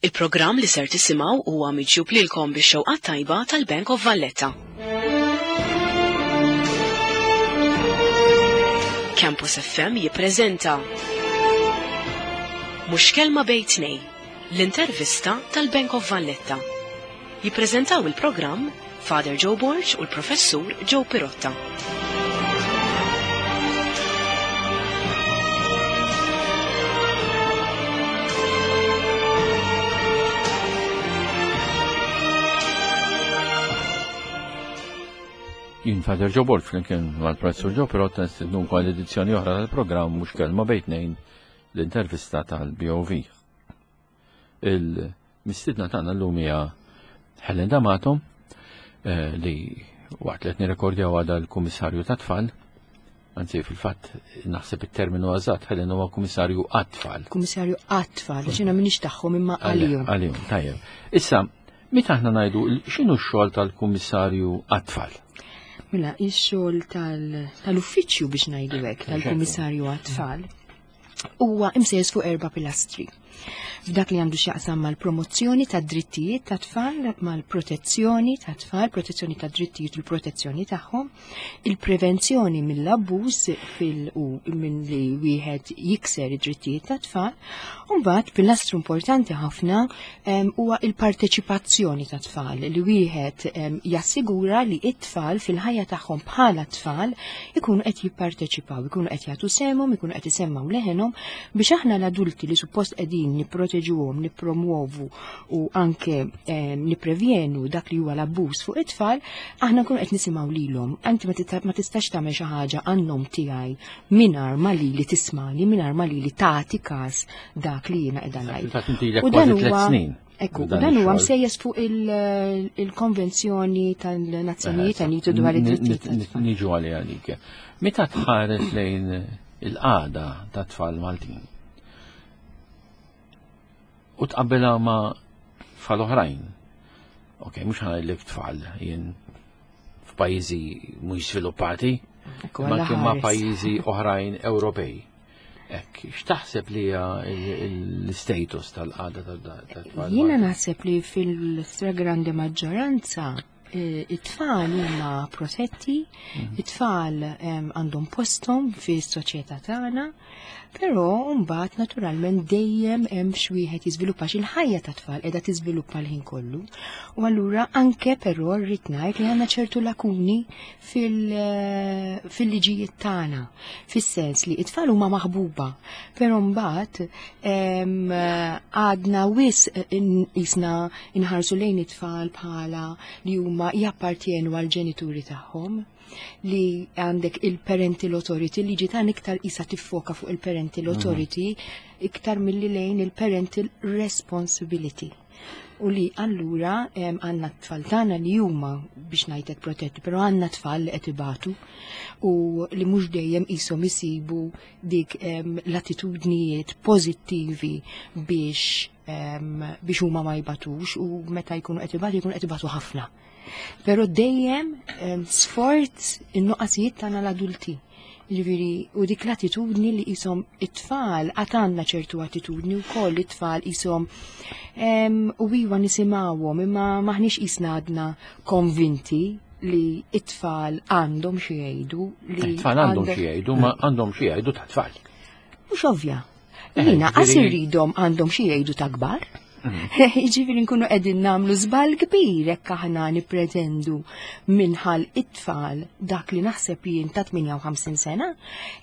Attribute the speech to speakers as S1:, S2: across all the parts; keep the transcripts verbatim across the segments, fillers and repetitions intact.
S1: Il-programm li ser tisimgħu huwa miġjub lilkom bix-xewqa tajba tal-Bank of Valletta. Campus F M jippreżenta Mhux Kelma Bejn Tnejn, l-intervista tal-Bank of Valletta. Jippreżentaw il-programm Father Joe Borg u l-Professur Joe Pirotta.
S2: Jien Father Joe Borg flimkien mal-Professur Joe Pirotta nistednu wkoll edizzjoni oħra tal-programm Mhux Kelma Bejn Tnejn, l-intervista tal-B O V. Il-mistiedna tagħna llum hija Helen D'Amato, eh, li waqt li qed nirrekordjaw għadha l-Kummissarju tat-Tfal, anzi fil-fatt naħseb it-terminu eżatt, Helen huwa Kummissarju għat-Tfal.
S3: Kummissarju għat-Tfal, għax jiena m'iniex tagħhom imma għalihom.
S2: Għalihom, tajjeb. Issa, meta aħna ngħidu x'inhu x-xogħol tal-Kummissarju għat-Tfal?
S3: Mela, ix-xogħol tal-, tal-uffiċċju biex ngħidu hekk, tal-Kummissarju għat-Tfal, huwa imsejjes fuq erba' pilastri. F'dak li għandu x'jaqsam mal-promozzjoni tad-drittijiet tat-tfal, mal-protezzjoni tat-tfal, protezzjoni tad-drittijiet u l-protezzjoni tagħhom, il-prevenzjoni mill-abbuż fil-, u minn li wieħed jikser id-drittijiet tat-tfal, u mbagħad pilastru importanti ħafna, em, huwa il-parteċipazzjoni tat-tfal, li wieħed, em, jassigura li t-tfal fil-ħajja tagħhom bħala tfal ikunu qed jipparteċipaw, ikunu qed jagħtu sehemhom, ikunu qed isemmgħu leħenhom biex aħna l-adulti li suppost qegħdin nipproteġuhom, nippromuovu u anke, em, nipprevjenu dak li huwa l-abbuż fuq it-tfal, aħna nkunu qed nisimgħu lilhom. Anti ma tita-, ma tistax tagħmel xi ħaġa għan-nom tiegħi mingħajr ma lili tismani, mingħajr ma lili tagħti każ dak li jiena qiegħda ngħid.
S2: Fil-fatt inti ilek
S3: U dan
S2: kważi tliet
S3: huwa
S2: snin.
S3: Ekku,
S2: Dan
S3: dan huwa
S2: ix-xogħol.
S3: msejjes fuq il-, il-konvenzjoni tal-Nazzjonijiet
S2: Eh,
S3: Uniti dwar
S2: n-,
S3: id-drittijiet
S2: n-,
S3: tat-tfal.
S2: Niġu għalih għalik. Meta tħares lejn il-qagħda tat-tfal Maltin u tqabbilha ma' tfal oħrajn, ok, mhux ħa ngħidlek tfal jien f'pajjiżi mhux żviluppati,
S3: Ekku,
S2: ma
S3: għalla
S2: kien ma'
S3: ħares.
S2: pajjiżi oħrajn Ewropej. Ekk, x'taħseb li hija il-, il-, l-status tal-qagħda tat-tfal?
S3: Jiena naħseb li fil-stragrande maġġoranza, eh, it-tfal huma protetti,
S2: Mhm.
S3: it-tfal, em, għandhom posthom fis-soċjetà tagħna, però mbagħad naturalment dejjem hemm x'wieħed jiżviluppa x'il-ħajja tat-tfal qiegħda tiżviluppa l-ħin kollu. U allura anke però rrid ngħid li għandna ċertu lakuni fil-, eh, fil-liġijiet tagħna, fis-sens li it-tfal huma maħbuba, però mbagħad, em, għadna wisq in-, isna inħarsu lejn it-tfal bħala li huma jappartjenu għall-ġenituri tagħhom, li għandek il-parental authority, li ġitan iktar isa tiffoka fuq il-parental
S2: Mhm.
S3: authority iktar milli lejn il-parental responsibility. U li allura, em, għandna t-tfal tagħna li huma biex ngħidlek protetti, però għandna tfal li qed ibatu u li mhux dejjem qishom isibu dik, em, l-attitudnijiet pożittivi biex, em, biex huma ma jbatux, u meta jkunu qed ibatu jkunu qed ibatu ħafna. Però dejjem, em, sforz in-nuqqasijiet tagħna l-adulti. Jiġifieri, u dik l-attitudni li qishom it-tfal, għad għandna ċertu attitudni wkoll li t-tfal qishom, em, u iwa nisimgħuhom, imma maħniex qisna għadna konvinti li it-tfal għandhom xi jgħidu, li
S2: It-tfal għandhom
S3: għandhom
S2: xi jgħidu, ma għandhom xi jgħidu ta' tfal.
S3: Mhux ovvja.
S2: Eh,
S3: Jiena qas
S2: ġifieri
S3: irridhom għandhom xi jgħidu ta' kbar.
S2: Mhm.
S3: Jiġifieri nkunu qegħdin nagħmlu żball kbir jekk aħna nippretendu minħal it-tfal dak li naħseb jien ta' tmienja u ħamsin sena.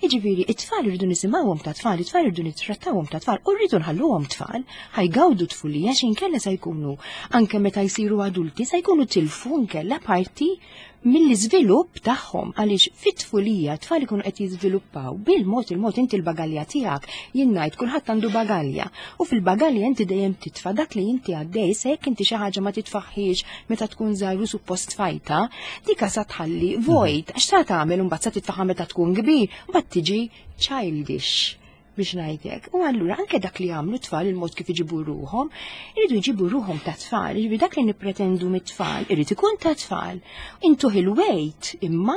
S3: Jiġifieri it-tfal irridu nisimgħuhom ta' tfal, it-tfal irridu nittrattawhom ta' tfal u rridu nħalluhom tfal, ħajgawdu tfulija xi nkella se jkunu anke meta jsiru adulti se jkunu tilfu nkella parti mill-iżvilupp tagħhom, għaliex fit-tfulija t-tfal ikunu qed jiżviluppaw bil-mod il-mod. Inti l-bagalja tiegħek, jien ngħid kulħadd għandu bagalja, u fil-bagalja inti dejjem titfa' dak li inti għaddej, se jekk inti xi ħaġa ma titfaħħiex meta tkun żgħir u suppost tfajta, dika sa tħalli vojt, għax sa tagħmel imbagħad sa titfaħħa meta tkun kbir, mbagħad tiġi childish biex ngħidlek. U allura anke dak li jagħmlu tfal, il-mod kif iġibu ruhom, iridu jġibu ruhom ta' tfal, jiġifieri dak li nippretendu mit-tfal irid ikun ta' tfal. Intuh il-weight imma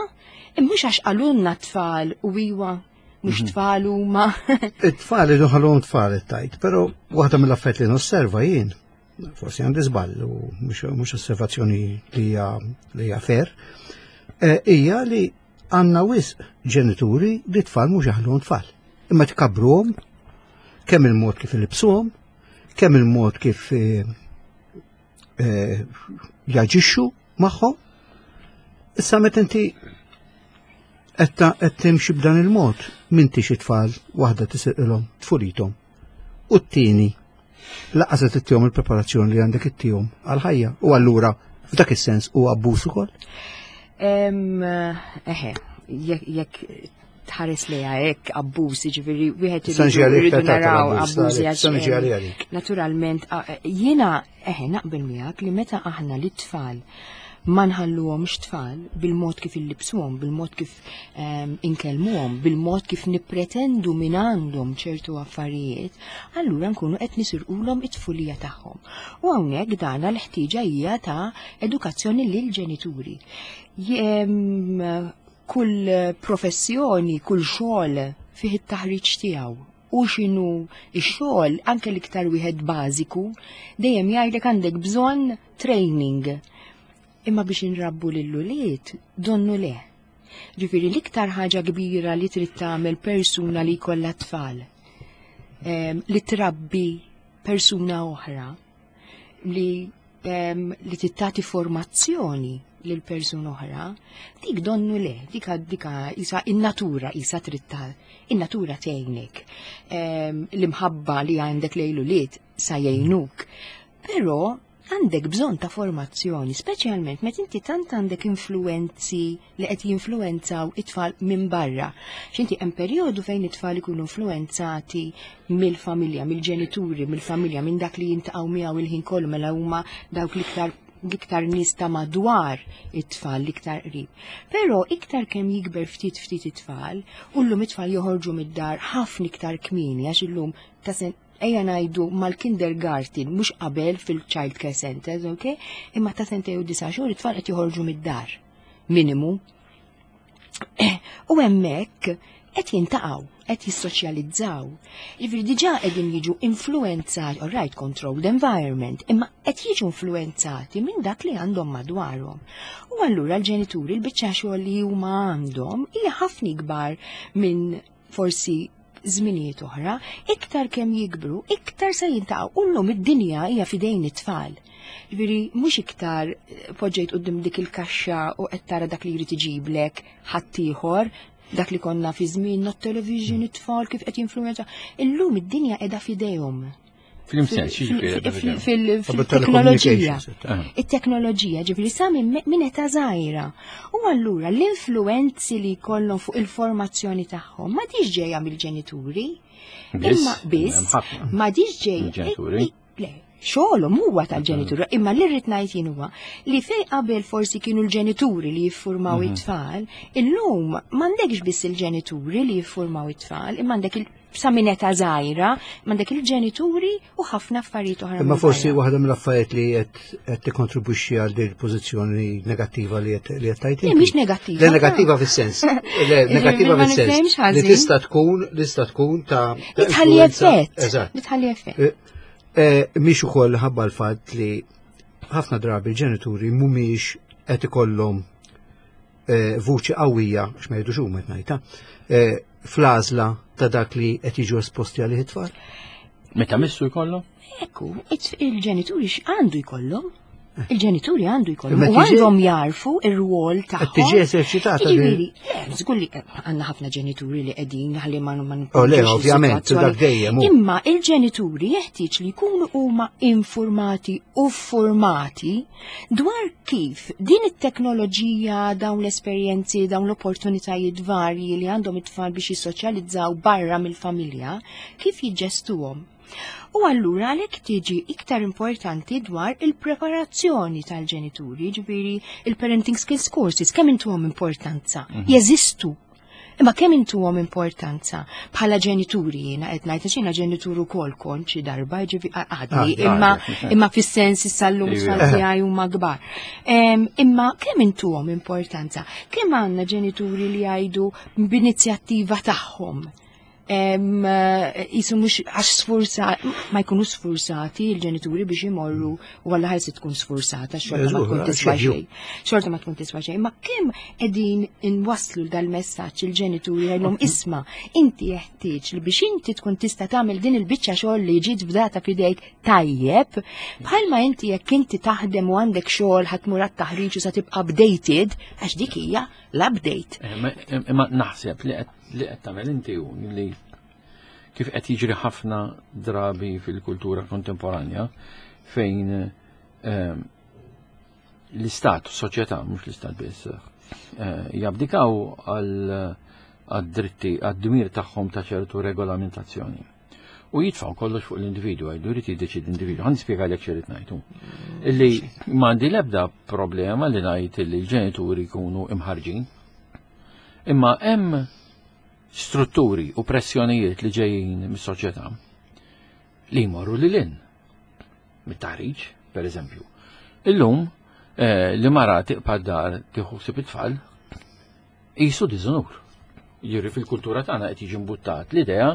S3: mhux għax qalulna tfal u iwa mhux
S4: Mhm.
S3: tfal huma.
S4: It-tfal idu ħallhom tfal it-tajt, però waħda mill-affarijiet li nosserva jien forsi għandi żball u mhux osservazzjoni li hija li hija fair, eh, hija li għandna wisq ġenituri li tfal mhux jaħluhom tfal. Imma tkabruhom kemm il-mod kif ilibsuhom, kemm il-mod kif eh, eh, jaġixxu magħhom. Issa meta inti qed timxi b'dan il-mod, m'intix it-tfal waħda tisirqilhom tfulithom. U t-tieni lanqas qed ittihom il-preparazzjoni li għandek ittihom għal-ħajja. U allura f'dak is-sens hu abbuż ukoll.
S3: Eħe, jekk tħares lejha hekk abbuż, jiġifieri wieħed irridu naraw abbużi għax. Naturalment, jiena eħe naqbel miegħek li meta aħna li tfal ma nħalluhomx tfal bil-mod kif illibsuhom, bil-mod kif um, inkellmuhom, bil-mod kif nippretendu minn għandhom ċertu affarijiet, allura nkunu qed nisirqulhom it-tfulija tagħhom. U hawnhekk dana l-ħtieġa hija ta' edukazzjoni lil ġenituri. Kull professjoni, kull xogħol fih it-taħriġ tiegħu. U x'inhu x-xogħol anke l-iktar wieħed bażiku, dejjem jgħidlek għandek bżonn training. Imma biex inrabbu lill-ulied, donnu le. Ġifieri l-iktar ħaġa kbira li trid tagħmel persuna li jkollha tfal, li trabbi persuna oħra, li li tittati formazzjoni lil persuna oħra, dik donnu le, dik dika isa in-natura isa trid in-natura tgħinek. L-imħabba li għandek lejn ulied sa jgħinuk. Però għandek bżonn ta' formazzjoni, speċjalment meta inti tant għandek influenzi li qed jinfluenzaw it-tfal minn barra. X'inti hemm perjodu fejn it-tfal ikunu influenzati mill-familja, mill-ġenituri, mill-familja, minn dak li jintaqgħu miegħu il-ħin kollu mela huma dawk l-iktar l-iktar nies ta' madwar it-tfal, l-iktar qrib. Però iktar kemm jikber ftit ftit it-tfal, u llum it-tfal joħorġu mid-dar ħafna iktar kmieni għax illum ta' sen ejja ngħidu mal-kindergarten, mhux qabel fil-child care centers, ok? Imma ta' sentejn u disa' xhur it-tfal qed joħorġu mid-dar. Minimu. U hemmhekk qed jintaqgħu, qed jissoċjalizzaw. Jiġifieri diġà qegħdin jiġu influenzati, all right, controlled environment, imma qed jiġu influenzati minn dak li għandhom madwarhom. U allura l-ġenituri l-biċċa xogħol li huma għandhom hija ħafna ikbar minn forsi żminijiet oħra, iktar kemm jikbru, iktar se jintaqgħu. U llum id-dinja hija f'idejn it-tfal. Ġifieri mhux iktar poġġejt quddiem dik il-kaxxa u qed tara dak li jrid iġiblek ħaddieħor, dak li konna fi żmien not television it-tfal kif qed jinfluwenza. Illum id-dinja qiegħda f'idejhom. Fil-teknoloġija. It-teknoloġija, ġifieri sa minn età żgħira. U allura l-influenzi li jkollhom fuq il-formazzjoni tagħhom ma diġ ġejja mill-ġenituri. Imma biss ma diġ ġejja. Le, xogħolhom huwa tal-ġenituri, imma li rrid ngħid jien huwa li fej qabel forsi kienu l-ġenituri li jiffurmaw it-tfal, illum m'għandekx biss il-ġenituri li jiffurmaw it-tfal, imma għandek sa minn età żgħira, m'għandek il-ġenituri u ħafna affarijiet oħra.
S4: Imma forsi waħda mill-affarijiet li qed tikkontribwixxi għal din il-pożizzjoni negattiva li qed li qed tajt.
S3: Le mhix negattiva.
S4: Le negattiva fis-sens. Le negattiva fis-sens. Li tista' tkun tista' tkun ta'
S3: li tħalli effett.
S4: Eżatt.
S3: Li tħalli effett.
S4: Mhix ukoll ħabba l-fatt li ħafna drabi l-ġenituri mhumiex qed ikollhom vuċi qawwija, x'ma jgħidux huma qed ngħidha, fl-għażla ta' dak li qed jiġu esposti għalih it-tfal.
S2: Meta missu jkollhom?
S3: Ekku, il-ġenituri x'għandu jkollhom? Il-ġenituri għandu jkollhom u għandhom jarfu ir-rwol tagħhom.
S4: Tiġi eżerċitata.
S3: Jiġifieri, żgur li għandna ħafna ġenituri li qegħdin ħalli ma ma
S4: Oh, le, ovvjament, dak dejjem.
S3: Imma il-ġenituri jeħtieġ li jkunu huma informati u formati dwar kif din it-teknoloġija, dawn l-esperjenzi, dawn l-opportunitajiet varji li għandhom it-tfal biex jissoċjalizzaw barra mill-familja, kif jiġġestuhom. U allura għalhekk tiġi iktar importanti dwar il-preparazzjoni tal-ġenituri, ġifieri il-parenting skills courses, kemm intuhom importanza, jeżistu. Imma kemm intuhom importanza bħala ġenituri jiena qed ngħid għax jiena ġenitur ukoll kont xi darba, ġifieri għadni, imma imma fis-sens issa llum tfal tiegħi huma kbar. Imma kemm intuhom importanza? Kemm għandna ġenituri li jgħidu b'inizjattiva tagħhom? Jisu mhux għax sfurza, ma jkunu sfurzati il-ġenituri biex imorru u għalla ħajsi tkun sfurzata, xorta ma tkun tiswa xejn. Xorta ma tkun tiswa xejn. Ma kemm qegħdin inwasslu dal-messaġġ il-ġenituri għajlhom isma' inti jeħtieġ li biex inti tkun tista' tagħmel din il-biċċa xogħol li ġiet fdata f'idejk tajjeb, bħalma inti jekk inti taħdem u għandek xogħol ħa tmur għat-taħriġ u sa tibqa' updated, għax dik hija l-update.
S2: Imma naħseb li qed tagħmel inti hu li kif qed jiġri ħafna drabi fil-kultura kontemporanja fejn l-istat, soċjetà, mhux l-istat biss, jabdikaw għad-dritti, għad-dmir tagħhom ta' ċertu regolamentazzjoni. U jitfaw kollox fuq l-individu, għajdu jrid jiddeċid l-individu. Ħa nispjegalek x'irrid ngħidu. Illi m'għandi l-ebda problema li ngħid li l-ġenituri jkunu imħarġin. Imma hemm strutturi u pressjonijiet li ġejjin mis-soċjetà li jmorru lil hinn. Mit-taħriġ, per eżempju. Illum li mara tibqa' dar tieħu ħsieb it-tfal qisu diżonur. Jiġri fil-kultura tagħna qed jiġi mbuttat l-idea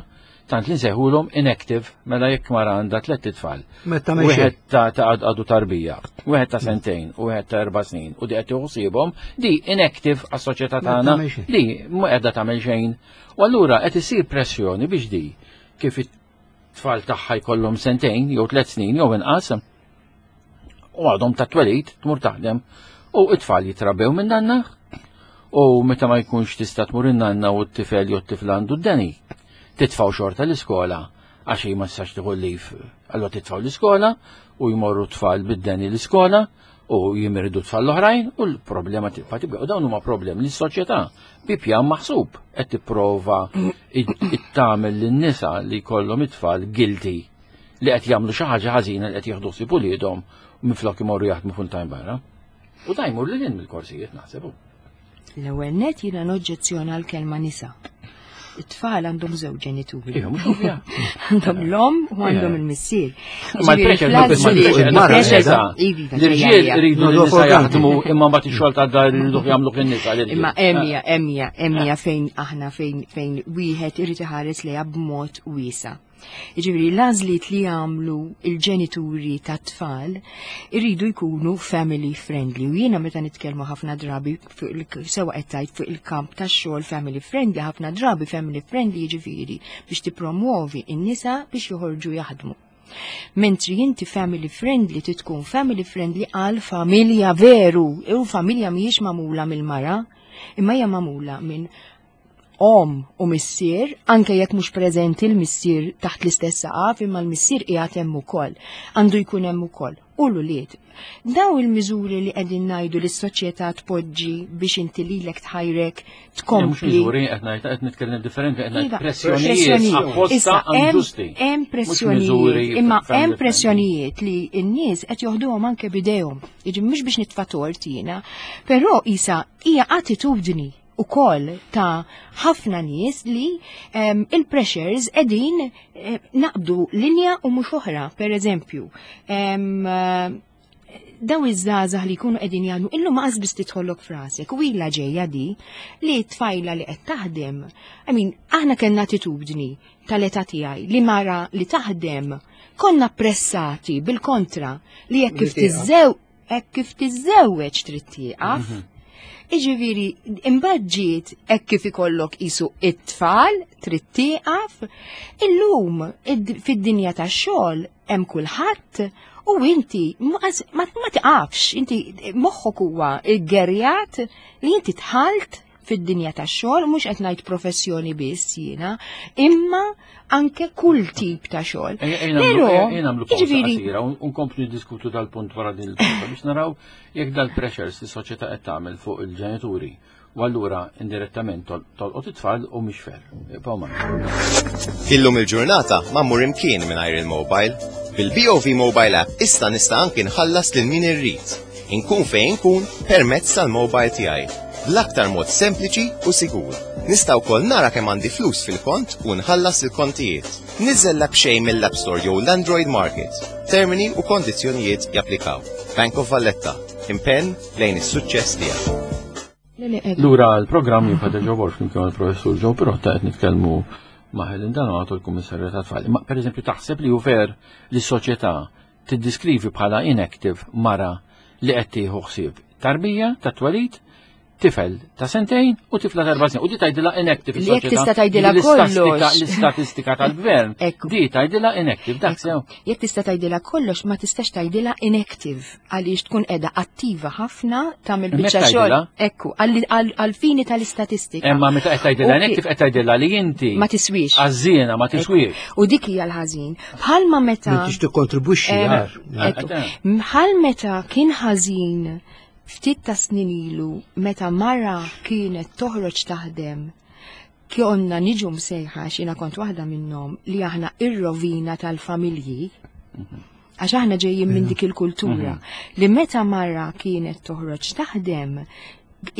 S2: tant li nsejħulhom inactive mela jekk mara għandha tliet itfal. Wieħed ta' għadu tarbija, wieħed ta' sentejn, u wieħed ta' erba' snin, u di qed tieħu ħsiebhom, di inactive għas-soċjetà tagħna, di ma qiegħda tagħmel xejn. U allura qed isir pressjoni biex di kif it-tfal tagħha jkollhom sentejn jew tliet snin jew inqas u għadhom ta' twelid tmur taħdem u it-tfal jitrabbew minn nanna u meta ma jkunx tista' tmur in-nanna u t-tifel jew t-tifla għandu d-deni. Titfaw xorta l-iskola għax ma tistax tieħu leave. Allura titfaw l-iskola u jmorru tfal bid-deni l-iskola u jimirdu tfal l-oħrajn u l-problema tibqa' tibqa'. U dawn huma problemi li s-soċjetà bi pjan maħsub qed tipprova tagħmel lin-nisa li jkollhom it-tfal guilty li qed jagħmlu xi ħaġa ħażina li qed jieħdu ħsieb uliedhom u minflok imorru jaħdmu full time barra. U da jmur lil hinn mill-korsijiet naħseb.
S3: L-ewwel net jiena noġġezzjona l-kelma nisa. It-tfal għandhom żewġ ġenituri.
S2: Iva, mhux ovvja.
S3: Għandhom l-om u għandhom il-missier.
S2: Ma l-pressure l-irġiel iridu n-nisa jaħdmu imma mbagħad ix-xogħol ta' dar iridu jagħmlu in-nisa.
S3: Imma emja, emja, emja fejn aħna fejn fejn wieħed irid iħares lejha b'mod wiesa'. Jiġifieri l-għażliet li jagħmlu il-ġenituri tat-tfal iridu jkunu family friendly. U jiena meta nitkellmu ħafna drabi sewa qed tgħid fuq il-kamp tax-xogħol family friendly, ħafna drabi family friendly jiġifieri biex tippromuovi n-nisa biex joħorġu jaħdmu. Mentri inti family friendly titkun family friendly għal familja veru, u familja mhijiex magħmula mill-mara, imma hija magħmula minn om u missier, anke jekk mhux preżenti l-missier taħt l-istess saqaf, imma l-missier qiegħed hemm ukoll, għandu jkun hemm ukoll. U l-ulied. Daw il-miżuri li qegħdin ngħidu li s-soċjetà tpoġġi biex inti lilek tħajrek tkompli.
S2: Mhux miżuri qed ngħid qed nitkellem differenti qed ngħid pressjonijiet apposta inġusti.
S3: Hemm pressjonijiet, imma hemm pressjonijiet li n-nies qed joħduhom anke b'idejhom. Jiġi mhux biex nitfa' tort jiena, però isa hija attitudni u koll ta' ħafna nies li um, il-pressures edin eh, naqbdu linja u mhux oħra. Per eżempju, um, daw iż-żgħażagħ li jkunu qegħdin jagħmlu illum ma biss tidħollok frasek u ilha ġejja di li tfajla li qed taħdem. I mean, aħna kellna attitudni tal-età tiegħi li mara li taħdem konna pressati bil-kontra li jekk kif tiżżew hekk kif tiżżewweġ trid tieqaf. Iġifieri, imbagħad ġiet hekk kif ikollok isu it-tfal trid tieqaf, illum fid-dinja tax-xogħol hemm kulħadd u inti ma tiqafx, inti moħħok huwa ggerjat li inti tħalt fid-dinja tax-xogħol, mhux qed ngħid professjoni biss jiena, imma anke kull tip ta' xogħol.
S2: Però jiġifieri nkomplu niddiskutu dal-punt wara din il-punt biex naraw jekk dal-pressures li soċjetà qed tagħmel fuq il-ġenituri u allura indirettament tolqot it-tfal u mhix fair.
S5: Illum il-ġurnata ma mmur imkien mingħajr il-mobile. Bil-B O V Mobile App issa nista' anki nħallas lil min irrid. Inkun fejn inkun permezz tal-mobile tiegħi. Bl-aktar mod sempliċi u sigur. Nista' wkoll nara kemm għandi flus fil-kont u nħallas il-kontijiet. Niżżel l-app b'xejn mill-App Store jew l-Android Market. Termini u kondizzjonijiet japplikaw. Bank of Valletta. Impenn lejn is-suċċess tiegħek.
S2: Lura l-programm jibqa' Joe Borg flimkien mal-professur Joe Pirotta qed nitkellmu Ma' Helen Donato, l-Kummissarju tat-Tfal. Ma per eżempju taħseb li hu fair li s-soċjetà tiddiskrivi bħala inactive mara li qed tieħu ħsieb tarbija ta' twelid, tifel ta' sentejn u tifla ta' erba' snin? U di tgħidilha inactive
S3: Li jekk
S2: is-soċjetà.
S3: Tista' tgħidilha
S2: L-istatistika-
S3: kollox.
S2: L-istatistika tal-gvern.
S3: Ekku.
S2: Di tgħidilha inactive, dak sew.
S3: Jekk tista' tgħidilha kollox, ma tistax tgħidilha inactive għaliex tkun qiegħda attiva ħafna, tagħmel
S2: Hemmhekk
S3: biċċa xogħol.
S2: tgħidilha?
S3: Ekku, għal- għal- għal-fini tal-istatistika.
S2: Imma meta qed tgħidilha
S3: U
S2: inactive, qed tgħidilha li inti
S3: Ma tiswix.
S2: għażżiena, ma tiswix.
S3: U dik hija l-ħażin. Bħalma meta
S4: M'intix tikkontribwixxi
S3: Em,
S4: għar.
S3: Ekku. Bħal meta kien ħażin ftit ta' snin ilu meta mara kienet toħroġ taħdem, konna niġu msejħa, xina kont waħda minnhom, li aħna ir-rovina tal-familji, għax aħna ġejjin minn dik il-kultura li meta mara kienet toħroġ taħdem,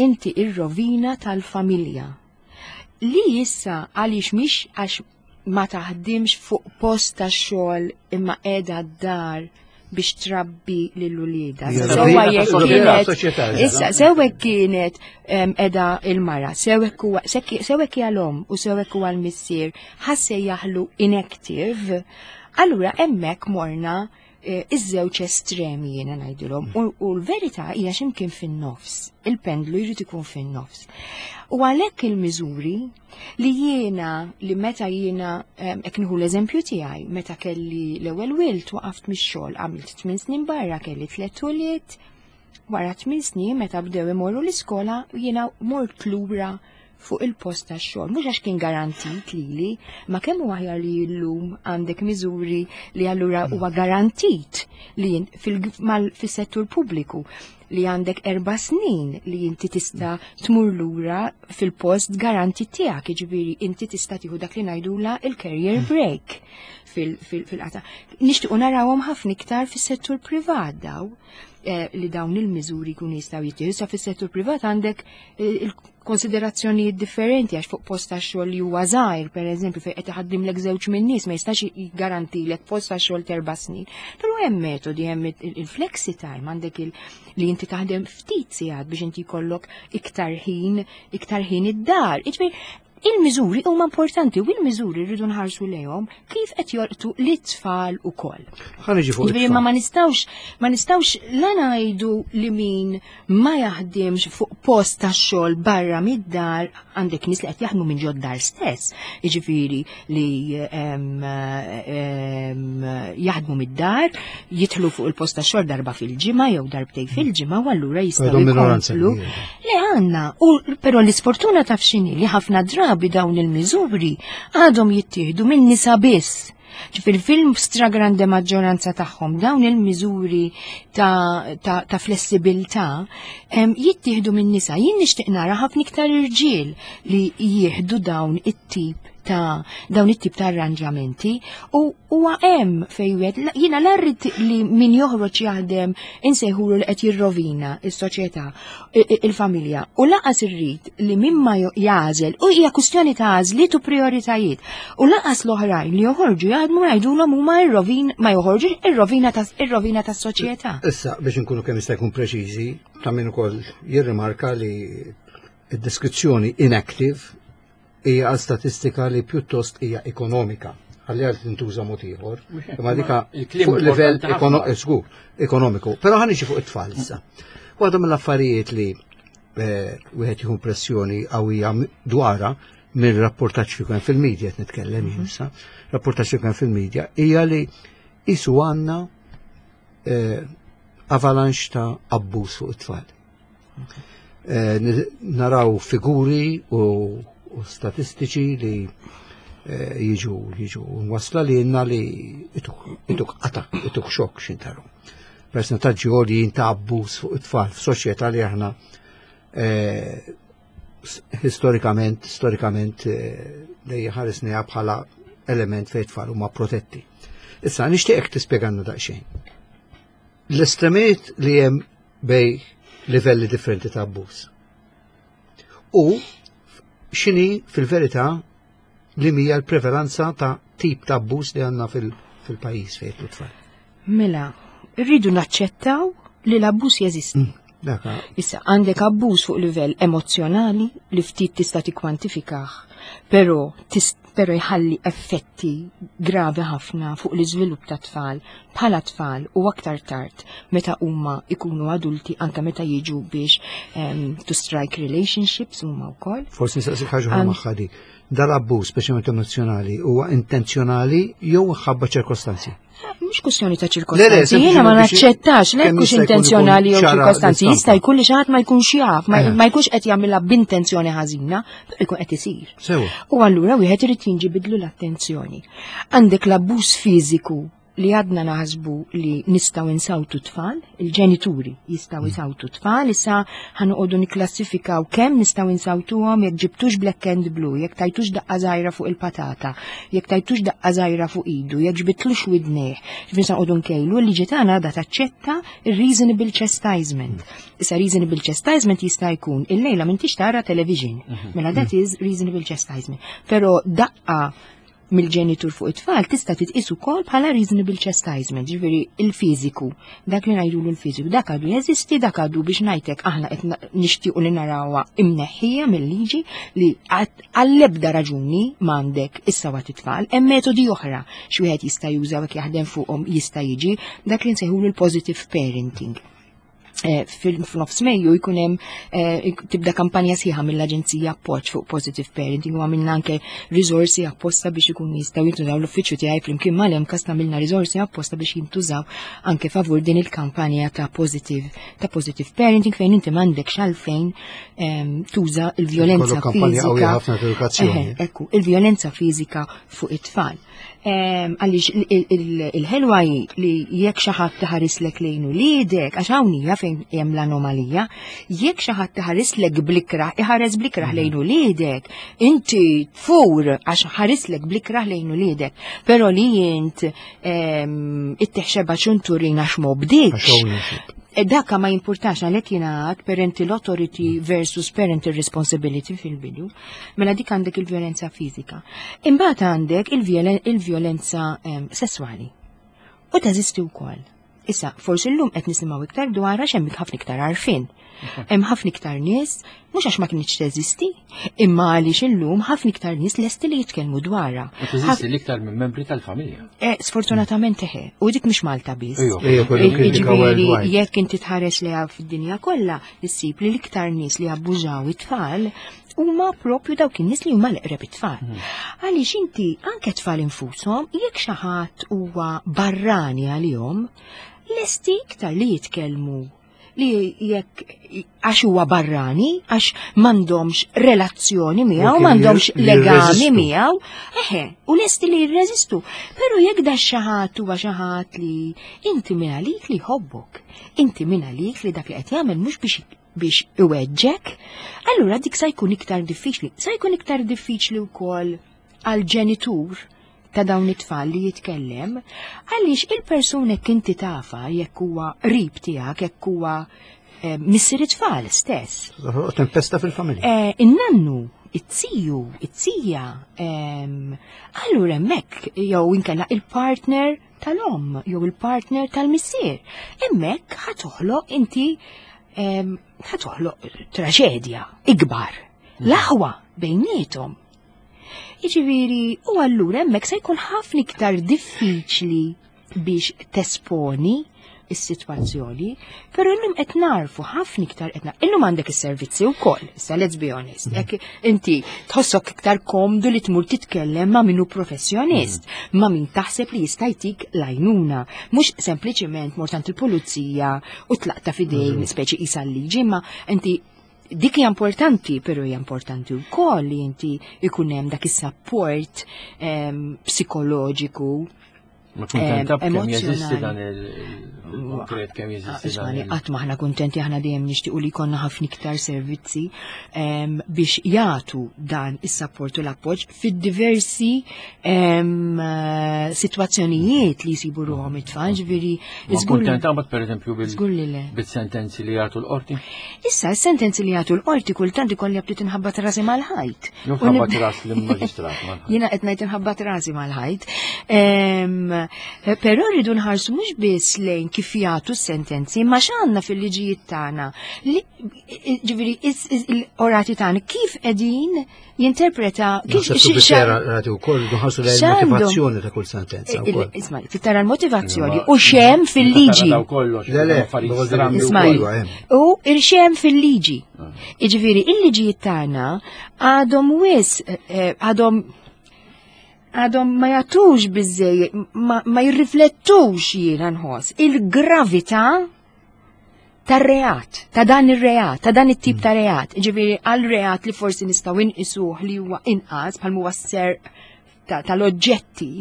S3: inti ir-rovina tal-familja. Li issa għaliex mhix għax ma taħdimx fuq post ta' xogħol imma qiegħda d-dar biex trabbi lil uliedha.
S4: Hija
S3: Sewwa
S4: rovina
S3: jekk
S4: tas-soċjetà,
S3: kienet-
S4: soċjetà,
S3: Issa, sewwa kienet em, qiegħda il-mara, sewwa huwa sewwa hija l-omm u sewwa huwa l-missier, ħa nsejjaħlu inactive, allura hemmhekk morna eh, iż-żewġ estremi, jiena ngħidilhom, u u l-verità hija x'imkien fin-nofs. Il-pendlu jrid ikun fin-nofs. U għalhekk il-miżuri li jiena li meta jiena em, hekk nieħu l-eżempju tiegħi, meta kelli l-ewwel wild waqaft mix-xogħol, għamilt tmien snin barra, kelli tliet ulied. Wara tmien snin, meta bdew imorru l-iskola, jiena mort lura fuq il-post tax-xogħol. Mhux għax kien garantit lili, ma kemm huwa aħjar li llum għandek miżuri li allura huwa garantit li jien fil- mal- fis-settur pubbliku li għandek erba' snin li inti tista' tmur lura fil-post garantit tiegħek, jiġifieri inti tista' tieħu dak li ngħidula il-career break fil-qata. Nixtiequ narawhom ħafna iktar fis-settur privat daw eh, li dawn il-miżuri jkunu jistgħu jittieħdu. Sa fis-settur privat għandek eh, il-konsiderazzjonijiet differenti, għax fuq post ta' xogħol li huwa żgħir, pereżempju, fejn qed iħaddimlek żewġ minn nies, ma jistax jiggarantilek post ta' xogħol terba' snin. Però hemm metodi, hemm il-flexi time, għandek il li inti taħdem ftit sigħat biex inti jkollok iktar ħin, iktar ħin id-dar. Jiġifieri, il-miżuri huma importanti u il-miżuri rridu nħarsu lejhom kif qed jolqtu l-tfal ukoll.
S4: Ħa niġi fuq
S3: Ġifieri ma ma nistgħux ma nistgħux la ngħidu li min ma jaħdimx fuq post ta' xogħol barra mid-dar, għandek nies li qed jaħdmu minn ġod-dar stess. Jiġifieri li em, em, jaħdmu mid-dar, jidħlu fuq il-post ta' xogħol darba fil-ġimgħa jew darbtejn fil-ġimgħa u allura jistgħu
S4: Għadhom minoranza
S3: jkomplu.
S4: kbira.
S3: Le għandna, u però l-isfortuna taf x'inhi, li ħafna drabi dawn il-miżuri għadhom jittieħdu minn nisa biss. Ġifieri fil-stragrande maġġoranza tagħhom dawn il-miżuri ta', ta, ta' flessibilità em, jittieħdu minn nisa. Jien nixtieq nara ħafna iktar irġiel li jieħdu dawn it-tip ta' dawn it-tip ta' arranġamenti u huwa hemm fejn wieħed la- jiena la rrid li min joħroġ jaħdem insejħulu li qed jirrovina is-soċjetà, i- i- il-familja, u lanqas irrid li min ma jo- jagħżel, u hija kwistjoni ta' għażliet u prioritajiet, u lanqas l-oħrajn li joħorġu jaħdmu ngħidulhom huma ir-rovin ma joħorġux ir-rovina ta' ir-rovina tas-soċjetà.
S4: Issa, biex nkunu kemm jista' jkun preċiżi, ta' min ukoll jirrimarka li id-deskrizzjoni inactive hija għal statistika li pjuttost hija ekonomika. Għalli għal tintuża mod ieħor. Imma dika
S2: Il-kliem
S4: fuq livell
S2: importanti ħafna.
S4: ekono- eh, żgur, ekonomiku. Però ħa niġi fuq it-tfal issa. Waħda mill-affarijiet li eh, wieħed jieħu pressjoni qawwija m- dwarha mill-rapportaġġ li kien fil-medja, qed nitkellem jien issa, rapportaġġ li kien fil-medja, hija li isu għandna eh, avalanche ta' abbuż fuq it-tfal. Eh, ni- naraw figuri u, u statistiċi li eh, jiġu jiġu wasla li jenna li ituk ituk qata, ituk xokk xintaru. Percentaġġi għoljin ta' abbuż fuq it-tfal f'soċjetà li aħna eh, s- storikament storikament eh, li ħarisniha bħala element fejn tfal huma protetti. Issa nixtieqek tispjegalna daqsxejn. L-estremijiet li hemm bejn livelli differenti ta' abbuż. U x'inhi fil-verità li hija l-prevalenza ta' tip ta' abbuż li għandna fil-pajjiż fejn t-tfal.
S3: Mela, rridu naċċettaw li l-abbuż jeżisti.
S4: Daka,
S3: Issa, għandek abbuż fuq livell emozzjonali li ftit tista' tikkwantifikah, però tis- Pero jħalli effetti gravi ħafna fuq l-iżvilupp ta' tfal bħala tfal u aktar tard meta huma ikunu adulti, anke meta jiġu biex um, to strike relationships huma wkoll.
S4: Forsi nistaqsik ħaġa oħra magħha di. Dal-abbuż, speċjalment emozjonali, huwa intenzjonali jew ħabba ċirkostanzi?
S3: Mhux kwestjoni ta' ċirkostanzi, jiena ma naċċettax, le hux intenzjonali jew ċirkostanzi, jista' jkun li xi ħadd ma jkunx jaf, ma jkunx qed jagħmilha b'intenzjoni ħażina, però jkun qed isir. U allura wieħed irid jinġibidlu l-attenzjoni. Għandek l-abbuż fiżiku li għadna naħsbu li nistgħu insawtu tfal, il-ġenituri jistgħu jsawtu tfal, issa ħa noqogħdu niklassifikaw kemm nistgħu insawtuhom, jekk ġibtux black and blue, jekk tajtux daqqa żgħira fuq il-patata, jekk tajtux daqqa żgħira fuq idu, jekk ġbitlux widnejh. Ġifieri sa noqogħdu nkejlu, l-liġi tagħna għadha taċċetta il-reasonable chastisement. Issa, reasonable chastisement jista' jkun illejla m'intix tara television. Mela that is reasonable chastisement. Però daqqa mill-ġenitur fuq it-tfal tista' titqis ukoll bħala reasonable chastisement, ġifieri il-fiżiku, dak li ngħidulu l-fiżiku, dak għadu jeżisti, dak għadu, biex ngħidlek, aħna qed nixtiequ li narawha imneħħija mill-liġi, li għall-ebda raġuni m'għandek issawat it-tfal. Hemm metodi oħra x'wieħed jista' juża jekk jaħdem fuqhom, jista' jiġi dak li nsejħulu l-positive parenting. Eh, fil-nofs Mejju jkun hemm eh, tibda kampanja sħiħa mill-Aġenzija Appoġġ fuq positive parenting u għamilna anke risorsi apposta biex ikunu jistgħu jintużaw. L-uffiċċju tiegħi flimkien mal-MCAST għamilna risorsi apposta biex jintużaw anke favur din il-kampanja ta' positive ta' positive parenting, fejn inti m'għandekx għalfejn ehm, tuża il-vjolenza fiżika. Ekku, il-vjolenza fiżika fuq it-tfal. Għaliex il-ħelwa li jekk xi ħadd taħarislek lejn uliedek, għax hawn hija fejn hemm l-anomalija, jekk xi ħadd taħarislek bl-ikrah, iħares bl-ikrah lejn uliedek, inti tfur għax ħarislek bl-ikrah lejn uliedek, però li int ittih xebgħa ċunturin għax m'obdiekx, e dakka ma jimpurtax. Għalhekk jingħad parental authority versus parental responsibility fil-bidu. Mela dik għandek il-vjolenza fiżika. Imbagħad għandek il-vjolenza sessuali. U teżisti wkoll. Issa, forsi llum qed nisimgħu iktar dwar għax hemm ħafna iktar għarfien. Hemm ħafna iktar nies, mhux għax ma kienx teżisti, imma għaliex illum ħafna iktar nies lesti li jitkellmu dwarha.
S2: Teżisti l-iktar minn membri tal-familja.
S3: Eh, sfortunatament eħe, u dik mhix Malta biss. Jiġifieri jekk inti tħares li fid-dinja kollha, issib li l-iktar nies li abbużaw it-tfal huma propju dawk in-nies li huma l-eqreb it-tfal. Hmm. Għaliex inti anke tfal infushom, jekk xi ħadd huwa barrani għalihom, lesti iktar li jitkellmu li jekk għax huwa barrani, għax m'għandhomx relazzjoni miegħu, m'għandhomx legami miegħu, eħe, u lesti li jirreżistu. Però jekk da xi ħadd huwa xi ħadd li inti minn għalik li jħobbok, inti minn għalik li dak li qed jagħmel mhux biex biex iweġġek, allura dik sa jkun iktar diffiċli. Sa jkun iktar diffiċli wkoll għal ġenitur ta' dawn it-tfal li jitkellem, għaliex il-persuna inti tafha jekk huwa qrib tiegħek, jekk huwa eh, missier it-tfal stess.
S4: Tempesta fil-familja.
S3: Eh, in-nannu, it-ziju, it-zija, allura hemmhekk jew inkella il-partner tal-om, jew il-partner tal-missier. Hemmhekk ħa toħloq inti, ħa toħloq traġedja ikbar. L-aħwa bejniethom. Jiġifieri, u allura hemmhekk se jkun ħafna iktar diffiċli biex tesponi is-sitwazzjoni, però illum qed narfu ħafna iktar, qed illum għandek is-servizzi wkoll, issa let's be honest. Jekk inti tħossok iktar komdu li tmur titkellem ma' min hu professjonist, ma' min taħseb li jista' jtik l-għajnuna, mhux sempliċement mort għand il-pulizija u tlaqta f'idejn speċi qisha l-liġi, ma inti dik hija importanti, però hija importanti wkoll li inti ikun hemm dak is-support ehm, psikoloġiku.
S2: Ma kuntenta kemm jeżisti dan il-konkret, kemm jeżisti dan?
S3: Qatt m'aħna kuntenti, aħna dejjem nixtiequ li jkollna ħafna iktar servizzi biex jagħtu dan is-support u l-appoġġ fid-diversi sitwazzjonijiet li jsibu ruħhom it-tfal, ġifieri.
S2: Ma kuntenta mbagħad, pereżempju, bil-sentenzi li jagħtu l-qorti?
S3: Issa, s-sentenzi li jagħtu l-qorti kultant ikolli bdiet inħabbat rasi mal-ħajt.
S2: Jew ħabbat ras l-maġistrat mal-ħajt.
S3: Jiena qed ngħid inħabbat rasi mal-ħajt. Però rridu nħarsu mhux biss lejn kif jagħtu s-sentenzi, ma x'għandna fil-liġijiet tagħna. Ġifieri il-qorati tagħna kif qegħdin jinterpreta
S4: kif rati wkoll nħarsu lejn il-motivazzjoni ta' kull sentenza.
S3: Isma' tara l-motivazzjoni u x'hemm fil-liġi. U x'hemm fil-liġi. Jiġifieri il-liġijiet tagħna għadhom wis għadhom għadhom ma jagħtux biżejjed, ma, ma jirriflettux jiena nħoss il-gravità tar-reat, ta' dan ir-reat, ta' dan it-tip ta' reat. Ġifieri għal reat li forsi nistgħu inqisuh li huwa inqas bħal huwa s-serq tal-oġġetti.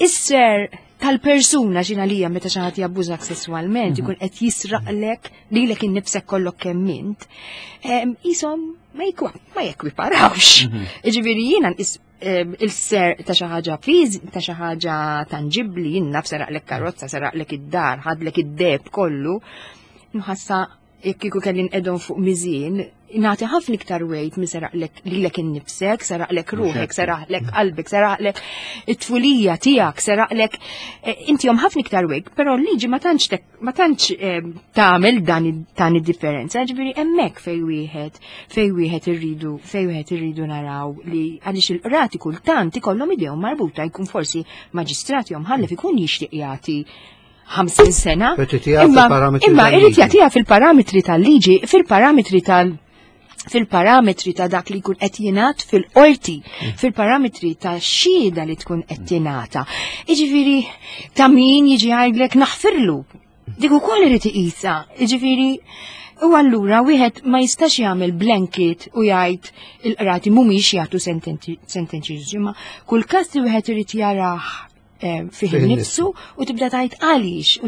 S3: Is-serq tal-persuna xina lija meta xi ħadd jabbużak sesswalment ikun qed jisraqlek lilek innifsek kollok kemm int. Isom ma jekwiparawx. Ġifieri jiena nqis il-serq ta' xi ħaġa fiż, ta' xi ħaġa tanġibbli, jien naf seraqlek karozza, seraqlek id-dar, ħadlek id-deheb kollu. Nħassa jekk kieku kelli nqedhom fuq miżien, nagħti ħafna iktar weight minn seraqlek lilek innifsek, seraqlek ruħek, seraqlek qalbek, seraqlek it-tfulija tiegħek, seraqlek inti jom ħafna iktar weight, però l-liġi ma tantx ma tantx tagħmel dan dan id-differenza, ġifieri hemmhekk fej wieħed fej wieħed irridu fej wieħed irridu naraw li għaliex il-qrati kultant ikollhom idejhom marbuta jkun forsi maġistrat jew mħallef ikun jixtieq jagħti ħamsin sena.
S4: Imma
S3: imma irid jagħtiha fil-parametri tal-liġi, fil-parametri tal fil-parametri ta' dak li jkun qed jingħad fil-qorti, fil-parametri ta' xhieda li tkun qed tingħata. Jiġifieri ta' min jiġi jgħidlek naħfirlu. Dik ukoll irid iqisha. Jiġifieri u allura wieħed ma jistax jagħmel blanket u jgħid il-qrati mhumiex jagħtu sentenzi, imma kull każ li wieħed irid jarah fih nifsu u tibda tajt għaliex u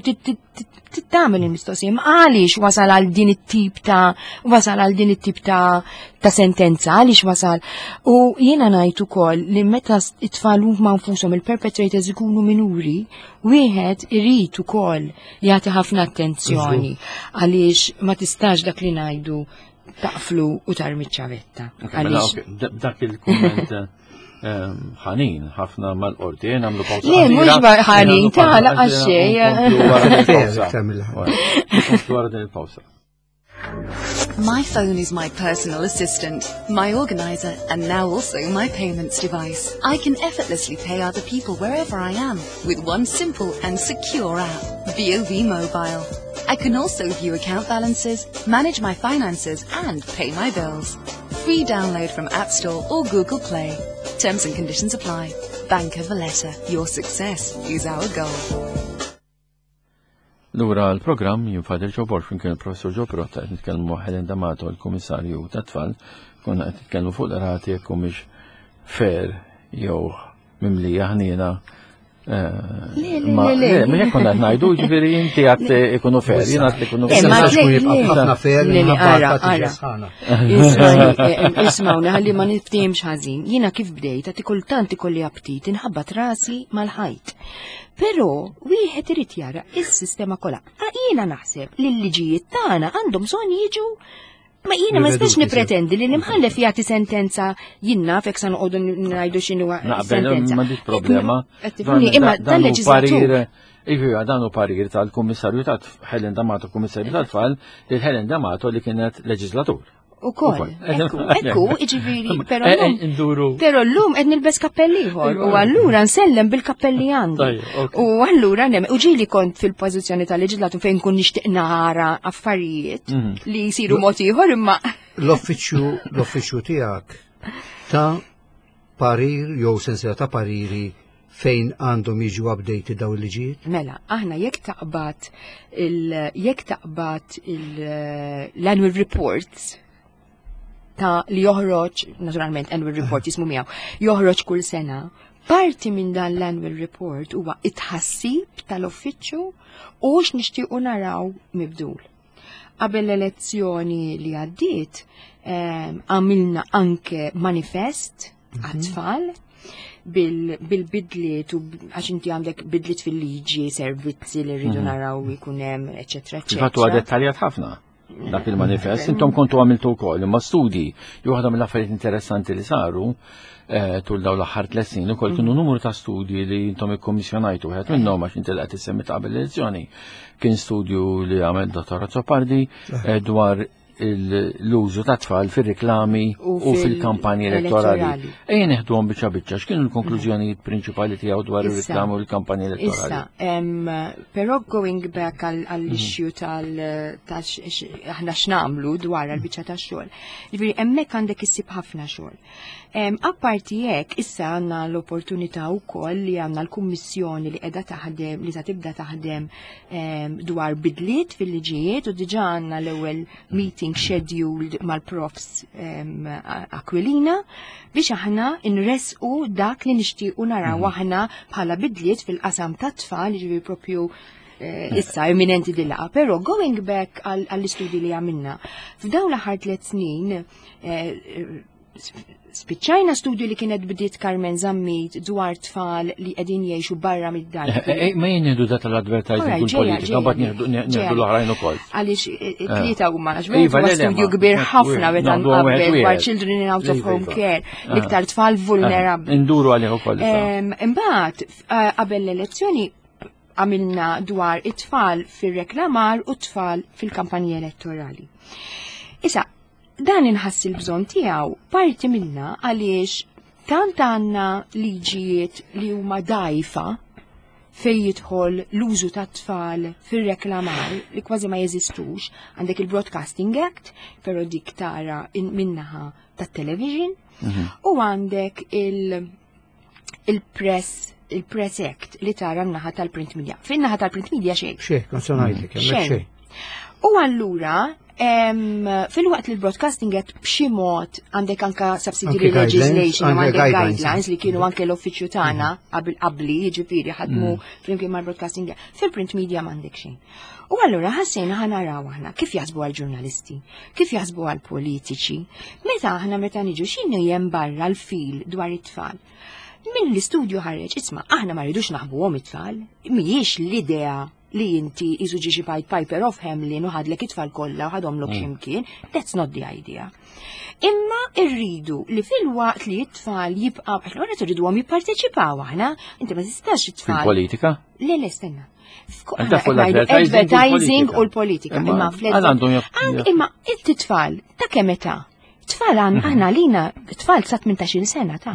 S3: tagħmel il-mistoqsija għaliex wasal għal din it-tip ta' wasal għal din it-tip ta' ta' sentenza, għaliex wasal. U jiena ngħid ukoll li meta it-tfal huma nfushom il-perpetrators ikunu minuri, wieħed irid ukoll jagħti ħafna attenzjoni għaliex ma tistax dak li ngħidu taqflu u tarmi ċavetta.
S2: Dak il-kumment ħanin ħafna mal-qorti, nagħmlu pawsa.
S3: Le, mhux ħanin, ta' laqas xejn.
S2: Wara din il-pawsa.
S6: My phone is my personal assistant, my organizer, and now also my payments device. I can effortlessly pay other people wherever I am with one simple and secure app, B O V Mobile. I can also view account balances, manage my finances, and pay my bills. Free download from App Store or Google Play. Terms and conditions apply. Bank of Valletta. Your success is our goal.
S2: Lura l-programm jien Father Joe Borg kien il-professor Joe Pirotta qed nitkellmu Helen D'Amato, l-Kummissarju tat-Tfal, konna qed nitkellmu fuq l-rati jekk humiex fair jew mimlija ħniena.
S3: Le, le, le,
S2: ma jekk konna qed ngħidu, ġifieri inti għad ikunu fair, jien għad ikunu
S3: fair.
S4: Ma jibqa' ħafna fair minħabba
S3: ara. Ismawni ħalli ma niftehimx ħażin. Jiena kif bdejt għad kultant ikolli aptit inħabbat rasi mal-ħajt. Però wieħed irid jara is-sistema kollha. Jiena naħseb li l-liġijiet tagħna għandhom bżonn jiġu. Ma jiena ma nistax nipretendi li l-imħallef jagħti sentenza jien naf hekk sa noqogħdu ngħidu x'inhu
S2: sentenza. M'għandix problema.
S3: Imma tal-leġiżlatur.
S2: Iva, dan hu parir tal-Kummissarju tat Helen D'Amato, Kummissarju tat-Tfal, lil Helen D'Amato li kienet leġiżlatur.
S3: U koll, ekku, ekku, iġifiri, pero l-lum, pero l-lum qed nilbes kappelli ieħor, u allura nsellem bil-kappelli għandi. U allura nem, u ġieli kont fil-pożizzjoni tal-leġislatur fejn kun nixtieq nara affarijiet li jsiru mod ieħor imma.
S4: L-offiċju, l-offiċju tiegħek ta' parir jew sensiela ta' pariri fejn għandhom jiġu updated daw il-liġijiet?
S3: Mela, aħna jekk taqbad il jekk taqbad l-annual reports ta' li joħroġ, naturalment annual report jismu miegħu, joħroġ kull sena, parti minn dan l-annual report huwa it-ħassib tal-uffiċċju u x'nixtiequ naraw mibdul. Qabel l-elezzjoni li għaddiet, għamilna anke manifest għat-tfal bil-bidliet u għax inti għandek bidliet fil-liġi, servizzi li rridu naraw jkun hemm, eċetera, eċetera.
S2: Fil-fatt huwa dettaljat ħafna. Dak il-manifest, intom kontu għamiltu wkoll, imma studji li waħda mill-affarijiet interessanti li saru eh, tul dawn l-aħħar tliet snin ukoll kienu numru ta' studji li intom ikkommissjonajtu, wieħed minnhom, għax inti qed issemmi ta' qabel l-elezzjoni, kien studju li għamel Dottor Azzopardi eh, dwar l-użu ta' tfal fil-reklami
S3: U
S2: u fil-kampanji elettorali.
S3: elettorali.
S2: Ejja neħduhom biċċa biċċa, x'kienu l-konklużjonijiet prinċipali tiegħu dwar
S3: Issa.
S2: ir-reklami u l-kampanji elettorali?
S3: Issa, em, però going back għall-issue tal ta' x- x- aħna x'nagħmlu dwar għal-biċċa ta' xogħol. Ġifieri hemmhekk għandek issib ħafna xogħol. Em, Apparti hekk, issa għandna l-opportunità wkoll li għandna l-kummissjoni li qiegħda taħdem, li ta' tibda taħdem em, dwar bidliet fil-liġijiet, u diġà għandna l-ewwel meeting scheduled mal-profs em, Aquilina biex aħna nresqu dak li nixtiequ naraw aħna bħala bidliet fil-qasam tat-tfal, ġifieri propju eh, issa imminenti dil-laqgħa. Però going back għall- għall-istudji li għamilna, f'dawn l-aħħar tliet snin eh, spiċċajna studju li kienet bdiet Carmen Zammit dwar tfal li qegħdin jgħixu barra mid-dar.
S2: Eh, eh, Ma jien nieħdu da tal-advertising
S3: Alright,
S2: u
S3: ġeja,
S2: l-politika,
S3: ġeja,
S2: mbagħad nieħdu
S3: ġeja.
S2: nieħdu l-oħrajn ukoll.
S3: Għaliex eh, tlieta huma, għax
S2: Iva,
S3: wieħed huwa
S2: le, le,
S3: studju
S2: ma-
S3: kbir ħafna meta
S2: Naħdu wieħed
S3: nqabbel dwar
S2: wieħed.
S3: children in out of
S2: Iva,
S3: home
S2: iva.
S3: care, l-iktar tfal vulnerabbli.
S2: Induru għalih ukoll issa.
S3: Em, Imbagħad eh, qabel l-elezzjoni għamilna dwar it-tfal fir-reklamar u t-tfal fil-kampanji elettorali. Issa, dan inħass il-bżonn tiegħu parti minna għaliex tant għandna liġijiet li huma dajfa fej jidħol l-użu ta' tfal fir-reklamar li kważi ma jeżistux. Għandek il-Broadcasting Act, però dik tara in- min-naħa tat-television, u għandek il- il-press il-Press Act li tara n-naħa tal-print media. Fin-naħa tal-print media xejn.
S4: Xejn, kont se ngħidlek, hemmhekk
S3: Xejn.
S4: xejn.
S3: U allura, em, filwaqt li l-Broadcasting Act b'xi mod għandek anka subsidiary
S4: Anke guidelines,
S3: legislation u
S4: anke
S3: għandek
S4: guidelines.
S3: guidelines li kienu anke l-uffiċċju tagħna qabel qabli, jiġifieri ħadmu flimkien mal-Broadcasting Act. Fil-print media m'għandek xejn. U allura ħassejna ħa naraw aħna kif jaħsbu għal-ġurnalisti, kif jaħsbu għal-politiċi, meta aħna meta niġu x'inhu hemm barra l-fil dwar it-tfal. Min l-istudju ħareġ, isma', aħna ma rridux naħbuhom it-tfal, mhijiex l-idea li inti iżu ġi xi Pied Piper of Hamelin u ħadlek it-tfal kollha u ħadhomlok x'imkien, that's not the idea. Imma irridu li filwaqt li t-tfal jibqaw, għax l-għura irriduhom jipparteċipaw aħna, inti ma tistax it-tfal.
S2: Fil-politika?
S3: Le, le, stenna. F'ko-
S2: Anka
S3: aħna
S2: fuq
S3: qed ngħidu
S2: l-advertising u
S3: advertising
S2: l-politika.
S3: u l-politika.
S2: Imma
S3: Imma fl
S2: għal għandhom jaf-
S3: Ank- Imma it-tfal ta' kemm età? Tfal għan aħna lina tfal sa tmintax-il sena ta'.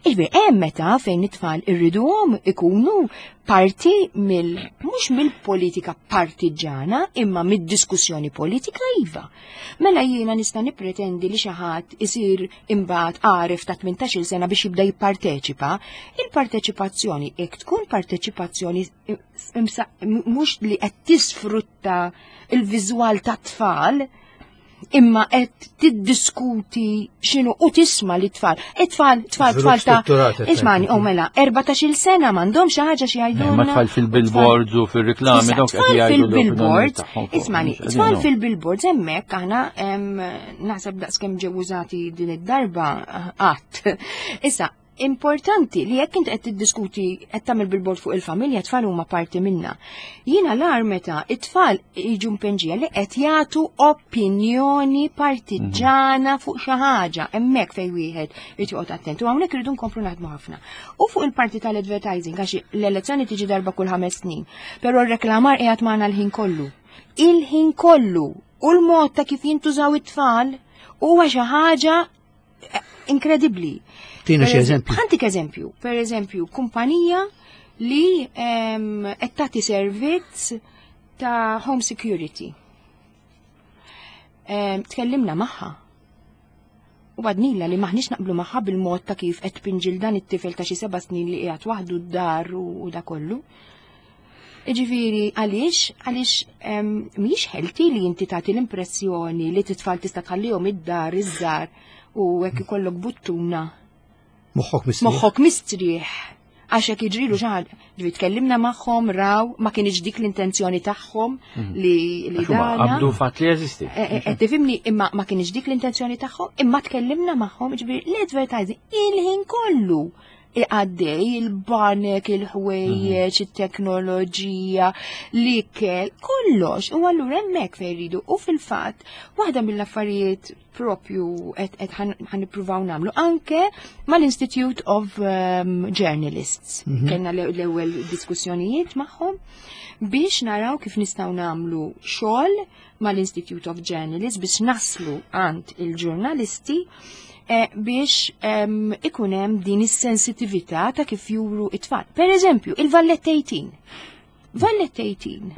S3: Iġbir, hemm meta fejn it-tfal irriduhom ikunu parti mill mhux mill-politika partiġana imma mid-diskussjoni politika, iva. Mela jiena nista' nippretendi li xi ħadd isir imbagħad għaref ta' tmintax-il sena biex jibda jipparteċipa. Il-parteċipazzjoni jekk tkun parteċipazzjoni imsa- mhux li qed tisfrutta il-viżwal ta' tfal, imma qed tiddiskuti x'inhu u tisma' li tfal. It-tfal, tfal,
S4: Żvilupp
S3: tfal ta'
S4: strutturat, qed
S3: Ismani,
S4: tgħid.
S3: oh mela, erbatax-il sena m'għandhom xi ħaġa xi jgħidulna.
S2: Ma tfal fil-billboards u fil-reklami
S3: Issa,
S2: dawk qed
S3: tfal
S2: jgħidu l-opinjoni
S3: fil-billboards,
S2: tagħhom fuq-
S3: ismani,
S2: mhux
S3: tfal
S2: qegħdin
S3: fil-billboards hemmhekk aħna em, naħseb daqskemm ġew użati din id-darba qatt. Issa, importanti li jekk inti qed tiddiskuti, qed tagħmel billboard fuq il-familja, tfal huma parti minna. Jiena l-ar meta it-tfal jiġu mpenġija li qed jagħtu opinjoni partiġana fuq xi ħaġa, hemmhekk fejn wieħed irid joqgħod attent. U hawnhekk irridu nkomplu naħdmu ħafna. U fuq il-parti tal-advertising, għax l-elezzjoni tiġi darba kull ħames snin, però r-reklamar qiegħed magħna l-ħin kollu. Il-ħin kollu u l-mod ta' kif jintużaw it-tfal huwa xi ħaġa eh, inkredibbli.
S4: Tina xi
S3: Per
S4: eżempju.
S3: Ħa ntik eżempju. Per eżempju, kumpanija li em, qed tagħti servizz ta' home security. Em, Tkellimna magħha. U għednielha li maħniex naqblu magħha bil-mod ta' kif qed tpinġi 'l dan it-tifel ta' xi seba' snin li qiegħed waħdu d-dar u u da kollu. Ġifieri, għaliex, għaliex em, mhijiex healthy li inti tagħti l-impressjoni li t-tfal tista' tħallihom id-dar iż-żgħar u hekk ikollok buttuna.
S4: Moħħok mistrieħ.
S3: Moħħok mistrieħ. Għax hekk jiġrilu xi ħaġa. Ġifieri tkellimna magħhom, raw, ma kienx dik l-intenzjoni tagħhom li li
S2: Għax huma
S3: dana.
S2: qabdu fatt li jeżisti.
S3: Eh, eh, Qed tifhimni, imma ma kienx dik l-intenzjoni tagħhom, imma tkellimna magħhom, ġifieri l-advertising il-ħin kollu. Għaddej il-banek, il-ħwejjeġ, it-teknoloġija, l-ikel, kollox. U allura hemmhekk fejn rridu. U fil-fatt, waħda mill-affarijiet propju qed ħa nippruvaw nagħmlu anke mal-Institute of um, Journalists. Mm -hmm. Kellna l-ewwel diskussjonijiet magħhom biex naraw kif nistgħu nagħmlu xogħol mal-Institute of Journalists biex naslu għand il-ġurnalisti eh, biex um, ikun hemm din is-sensitività ta' kif juru it-tfal. Per eżempju, il-Valletta eighteen. Valletta eighteen.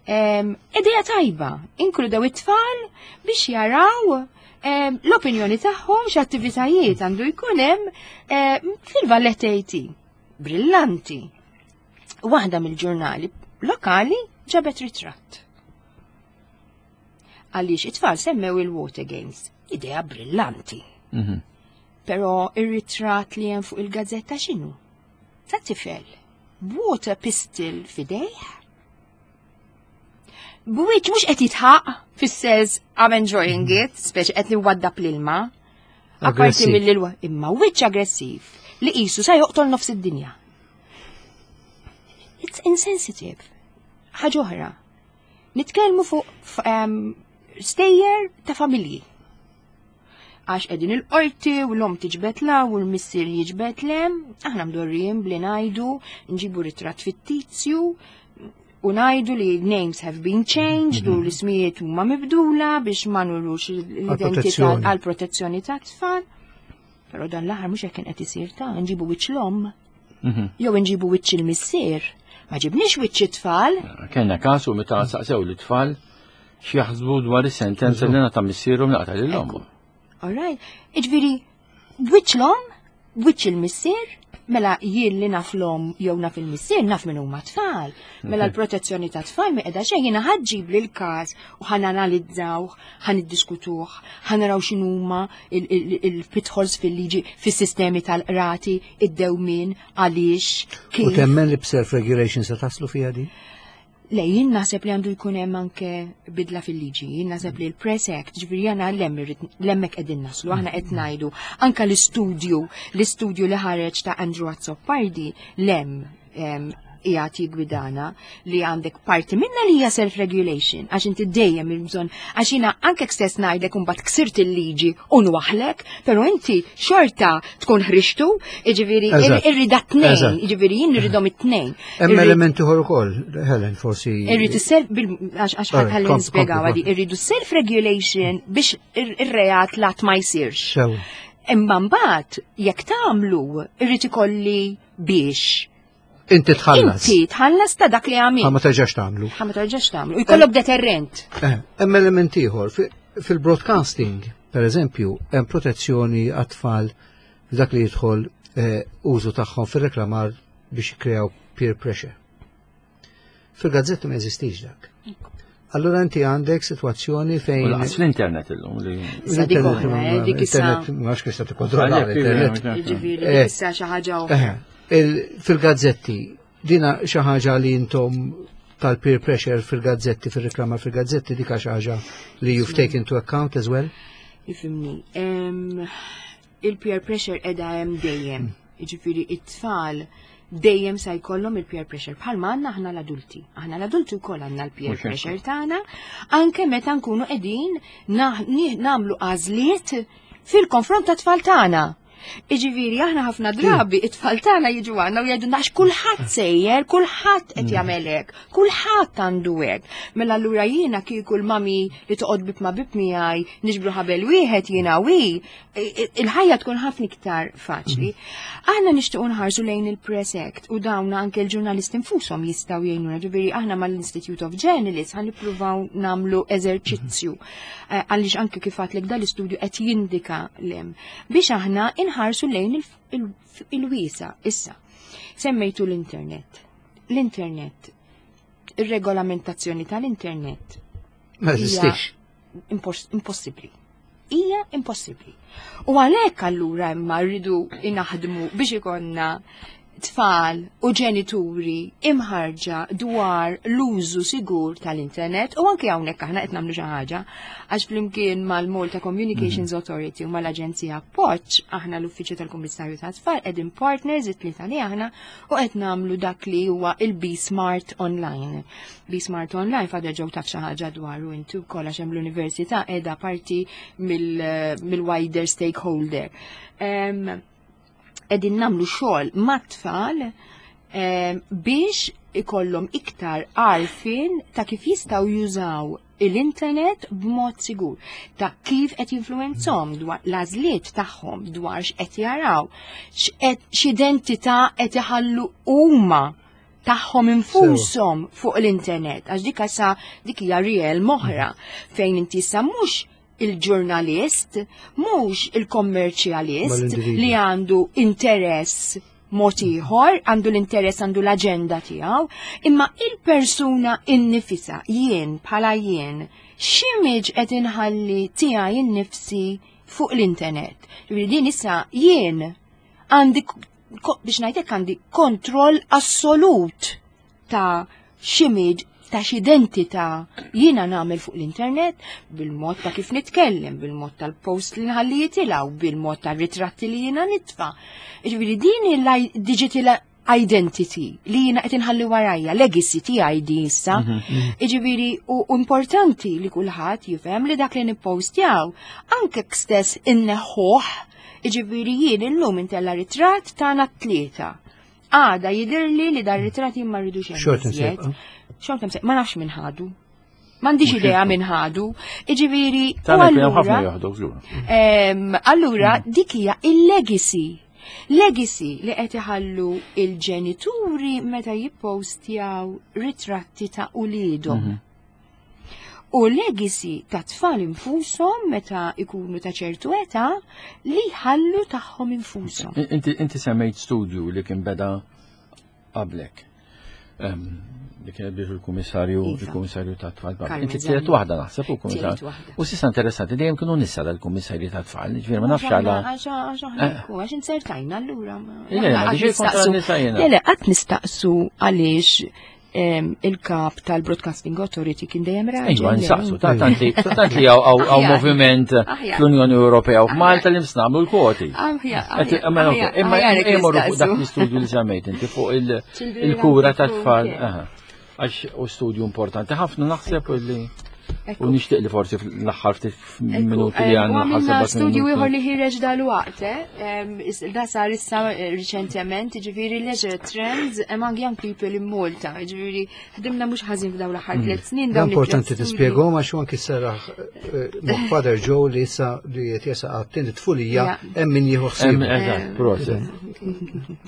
S3: Um, Ideja tajba, inkludew it-tfal biex jaraw um, l-opinjoni tagħhom x'attivitajiet għandu jkun hemm um, fil-Valletta eighteen. Brillanti. Waħda mill-ġurnali lokali ġabet ritratt. Għaliex it-tfal semmew il-Water Games. Idea brillanti. Mm -hmm. Però ir-ritratt li hemm fuq il-gazzetta x'inhu? Ta' tifel. Water pistol f'idejh. B'wiċċ mhux qed jidħaq fis-sens I'm enjoying it, speċi qed niwaddab l-ilma. Apparti mill-ilma, imma wiċċ aggressiv li qisu sa joqtol nofs id-dinja. It's insensitive. Ħaġa oħra. Nitkellmu fuq um, stejjer ta' familji. Għax qegħdin il-qorti u l-omm tiġbed 'l hawn u l-missier jiġbed 'l hemm, aħna mdorrijin bli ngħidu, nġibu ritratt fittizju u ngħidu li names have been changed u l-ismijiet huma mibdula biex ma nurux l-identità għal protezzjoni ta' tfal. Però dan l-aħħar mhux hekk kien qed isir ta' nġibu wiċċ l-omm. Jew nġibu wiċċ il-missier. Ma ġibniex wiċċ it-tfal.
S2: Kellna kasu meta saqsew l-tfal x'jaħsbu dwar is-sentenza li ngħata missierhom li qatel lil ommu.
S3: All right. Iġifieri, wiċċ l-omm, wiċċ il-missier, mela jien li naf l-omm jew naf il-missier naf min huma tfal. Mela l-protezzjoni ta' tfal mi qiegħda xejn jiena ħa ġġib li l-każ u ħa nanalizzawh, ħa niddiskutuh, ħa naraw x'inhuma il-pitfalls fil-liġi fis-sistemi tal-qrati, id-dewmien, għaliex.
S4: U temmen li b'self-regulation se taslu fiha di?
S3: Le, jien naħseb li għandu jkun hemm anke bidla fil-liġi, jien naħseb li l-Press Act, ġifieri jana hemmhekk qegħdin naslu, aħna qed ngħidu anke l-istudju, l-istudju li ħareġ ta' Andrew Azzopardi lem qiegħed jigwidana li għandek parti minna li hija self-regulation, għax inti dejjem il-bżonn, għax jiena anke stess ngħidlek imbagħad ksirt il-liġi u nwaħlek, però inti xorta tkun ħriġtu, jiġifieri irrida tnejn, jiġifieri jien irridhom it-tnejn.
S4: Hemm elementi oħra ukoll, Helen, forsi.
S3: Irrid is-self għax ħalli nispjegaw għadi, irridu self-regulation biex ir-reat lat ma jsirx. Imma mbagħad jekk tagħmlu irrid ikolli biex
S4: Inti tħallas.
S3: Inti tħallas ta' dak li għamil.
S4: Ma terġax tagħmlu.
S3: Ma terġax tagħmlu. Jkollok deterrent.
S4: Eh, hemm element ieħor fil-broadcasting, per eżempju, hemm protezzjoni għat-tfal dak li jidħol eh, użu tagħhom fir-reklamar biex jikkreaw peer pressure. Fil-gazzetti ma jeżistix dak. Allora inti għandek situazzjoni fejn.
S2: Lanqas l-internet illum li.
S3: L-internet,
S4: internet, ma nafx kif se tikkontrolla l-internet.
S3: Ġifieri, issa xi ħaġa oħra.
S4: Fil-gazzetti, dina xi ħaġa li intom tal-peer pressure fil-gazzetti, fil-reklama fil-gazzetti, dika xi ħaġa li you've taken into account as well?
S3: Ifhimni, il-peer pressure qiegħda hemm dejjem. Ġifieri it-tfal dejjem sa jkollhom il-peer pressure. Bħalma għandna aħna l-adulti. Aħna l-adulti wkoll għandna l-peer pressure tagħna, anke meta nkunu qegħdin nagħmlu għażliet fil-konfront ta' tfal tagħna. Iġifieri aħna ħafna drabi it-tfal tagħna jiġu għandna u jgħidu għax kulħadd sejjer, kulħadd qed jagħmel hekk, kulħadd għandu hekk. Mela allura jiena kieku l-mami li toqgħod bieb ma' bieb miegħi niġbru ħabel wieħed jiena wi, il-ħajja tkun ħafna iktar faċli. Aħna nixtiequ nħarsu lejn il-Press Act u dawn anke l-ġurnalisti nfushom jistgħu jgħinuna. Ġifieri aħna mal-Institute of Journalists ħa nippruvaw nagħmlu eżerċizzju eh, għaliex anke kif għedtlek dal-istudju qed jindika lem biex aħna inħarsu lejn il-wiesa. Issa, semmejtu l-internet. L-internet, ir-regolamentazzjoni tal-internet.
S4: Ma jeżistix.
S3: Impossibbli. Hija impossibbli. U għalhekk allura imma rridu inaħdmu biex ikonna Tfal u ġenituri imħarġa dwar l-użu sigur tal-internet u anke hawnhekk aħna qed nagħmlu xi ħaġa, għax flimkien mal-Malta Communications Authority u mal-Aġenzija Appoġġ, aħna l-Uffiċċju tal-Kummissarju tat-Tfal qegħdin partners it-tlieta li aħna u qed nagħmlu dak li huwa il-Be Smart Online. Be Smart Online, Father Joe, taf xi ħaġa dwaru inti wkoll, għax hemm l-università qiegħda parti mill-wider stakeholder. Em, Qegħdin nagħmlu xogħol mat-tfal em, biex ikollhom iktar għarfien ta' kif jistgħu jużaw l-internet b'mod sigur, ta' kif qed jinfluwenzhom dwar l-għażliet tagħhom, dwar x'qed jaraw, x'qed x'identità qed iħallu huma tagħhom infushom fuq l-internet, għax dik sa dik hija realm oħra fejn inti issa mhux il-ġurnalist, mhux il-kommerċjalist
S4: Mal-individwu.
S3: li għandu interess mod ieħor, għandu l-interess, għandu l-aġenda tiegħu, imma il-persuna innifisa, jien bħala jien, x'image qed inħalli tiegħi innifsi fuq l-internet? Ġifieri din issa jien għandi ko- biex ngħidlek għandi kontroll assolut ta' x'image, ta' x'identità jiena nagħmel fuq l-internet, bil-mod ta' kif nitkellem, bil-mod tal-post li nħalli jitilgħu, bil-mod tal-ritratti li jiena nitfa'. Ġifieri din il-digital identity li jiena qed inħalli warajja, legacy tiegħi din issa. Ġifieri u u importanti li kulħadd jifhem li dak li nippostjaw anke stess inneħħuh. Ġifieri jien illum intella ritratt tagħna t-tlieta. Għada jidirli li dar ritratt jien ma rridux hemm
S4: Xorta
S3: iżjed.
S4: nsejqa.
S3: Xorta msejqa, ma nafx min ħadu. M'għandix idea min ħadu. Ġifieri, u
S2: Tagħna kien hemm ħafna
S3: allura,
S2: joħdu żgur.
S3: em, allura dik hija il-legacy. Legacy li qed iħallu il-ġenituri meta jippostjaw ritratti ta' uliedhom. U legacy ta' tfal infushom meta ikunu ta' ċertu età li jħallu tagħhom infushom.
S2: Inti inti semmejt studju li kien beda qablek. Em, Li kien biex il-kummissarju
S3: Iva.
S2: Il-kummissarju ta' tfal.
S3: Carmen
S2: Inti tielet
S3: Zammit.
S2: waħda naħseb u kummissarju.
S3: Tielet waħda.
S2: U s'issa interessanti, dejjem kienu nisa dal-kummissarji ta' tfal, ġifieri ma nafx għala.
S3: Għax għax aħna għax insertajna allura. ma-
S2: Le, le, ma
S3: Qatt
S2: diġi kontra
S3: nistaqsu-
S2: n-nisa jiena.
S3: Le, le, qatt nistaqsu għaliex em, il-kap tal-Broadcasting Authority kien dejjem raġel.
S2: Iva,
S3: le?
S2: nsaqsu, ta' tant li tant li hawn hawn
S3: Aħjar.
S2: moviment
S3: Aħjar.
S2: fl-Unjoni Ewropea u f'Malta li msnamlu l-kwoti.
S3: Aħjar,
S2: Qed-
S3: aħjar,
S2: Imma
S3: aħjar,
S2: imma
S3: aħjar jekk
S2: imorru fuq dak
S3: nistaqsu.
S2: l-istudju li semmejt inti fuq il-
S3: Children
S2: il-kura
S3: out
S2: ta'
S3: of home
S2: tfal.
S3: care.
S2: Aha. Għax u studju importanti ħafna naħseb li
S3: Ekku.
S2: u nixtieq li forsi fl-aħħar ftit
S3: Ekku,
S2: minuti li
S3: em,
S2: għandna
S3: U għamilna
S2: ħaseb
S3: studju ieħor li ħireġ dal-waqt, eh? Em, is- Da sar issa eh, riċentement, ġifieri leisure trends among young people in Malta. Ġifieri ħdimna mhux ħażin f'dawn l-aħħar tliet snin,
S4: Da
S3: dawn it-tliet
S4: importanti
S3: studji.
S4: tispjegahom għax anki serraħ moħħ Father Joe li issa li qed jesaq għat-tieni tfulija
S3: Ja.
S4: hemm min jieħu ħsieb.
S2: Eżatt, proset.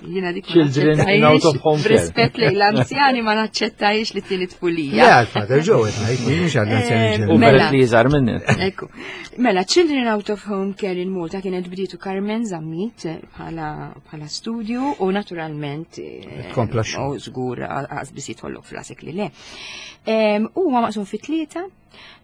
S3: Jiena dik ma
S2: Children in out of home care.
S3: Rispett lejn l-anzjani ma naċċettajx li tieni tfulija.
S4: Le għal Father Joe qed ngħid, mhux għall-anzjani
S3: Eh,
S2: U
S4: ġenerali.
S3: Mela.
S2: peress li jiżgħar minni.
S3: Ekku. Mela, Children Out of Home Care in Malta kienet bdietu Carmen Zammit bħala bħala studju u naturalment eh,
S4: Tkompla x-xogħol.
S3: U żgur għax biss jitħollok f'rasek li le. Em, Huwa maqsum fi tlieta.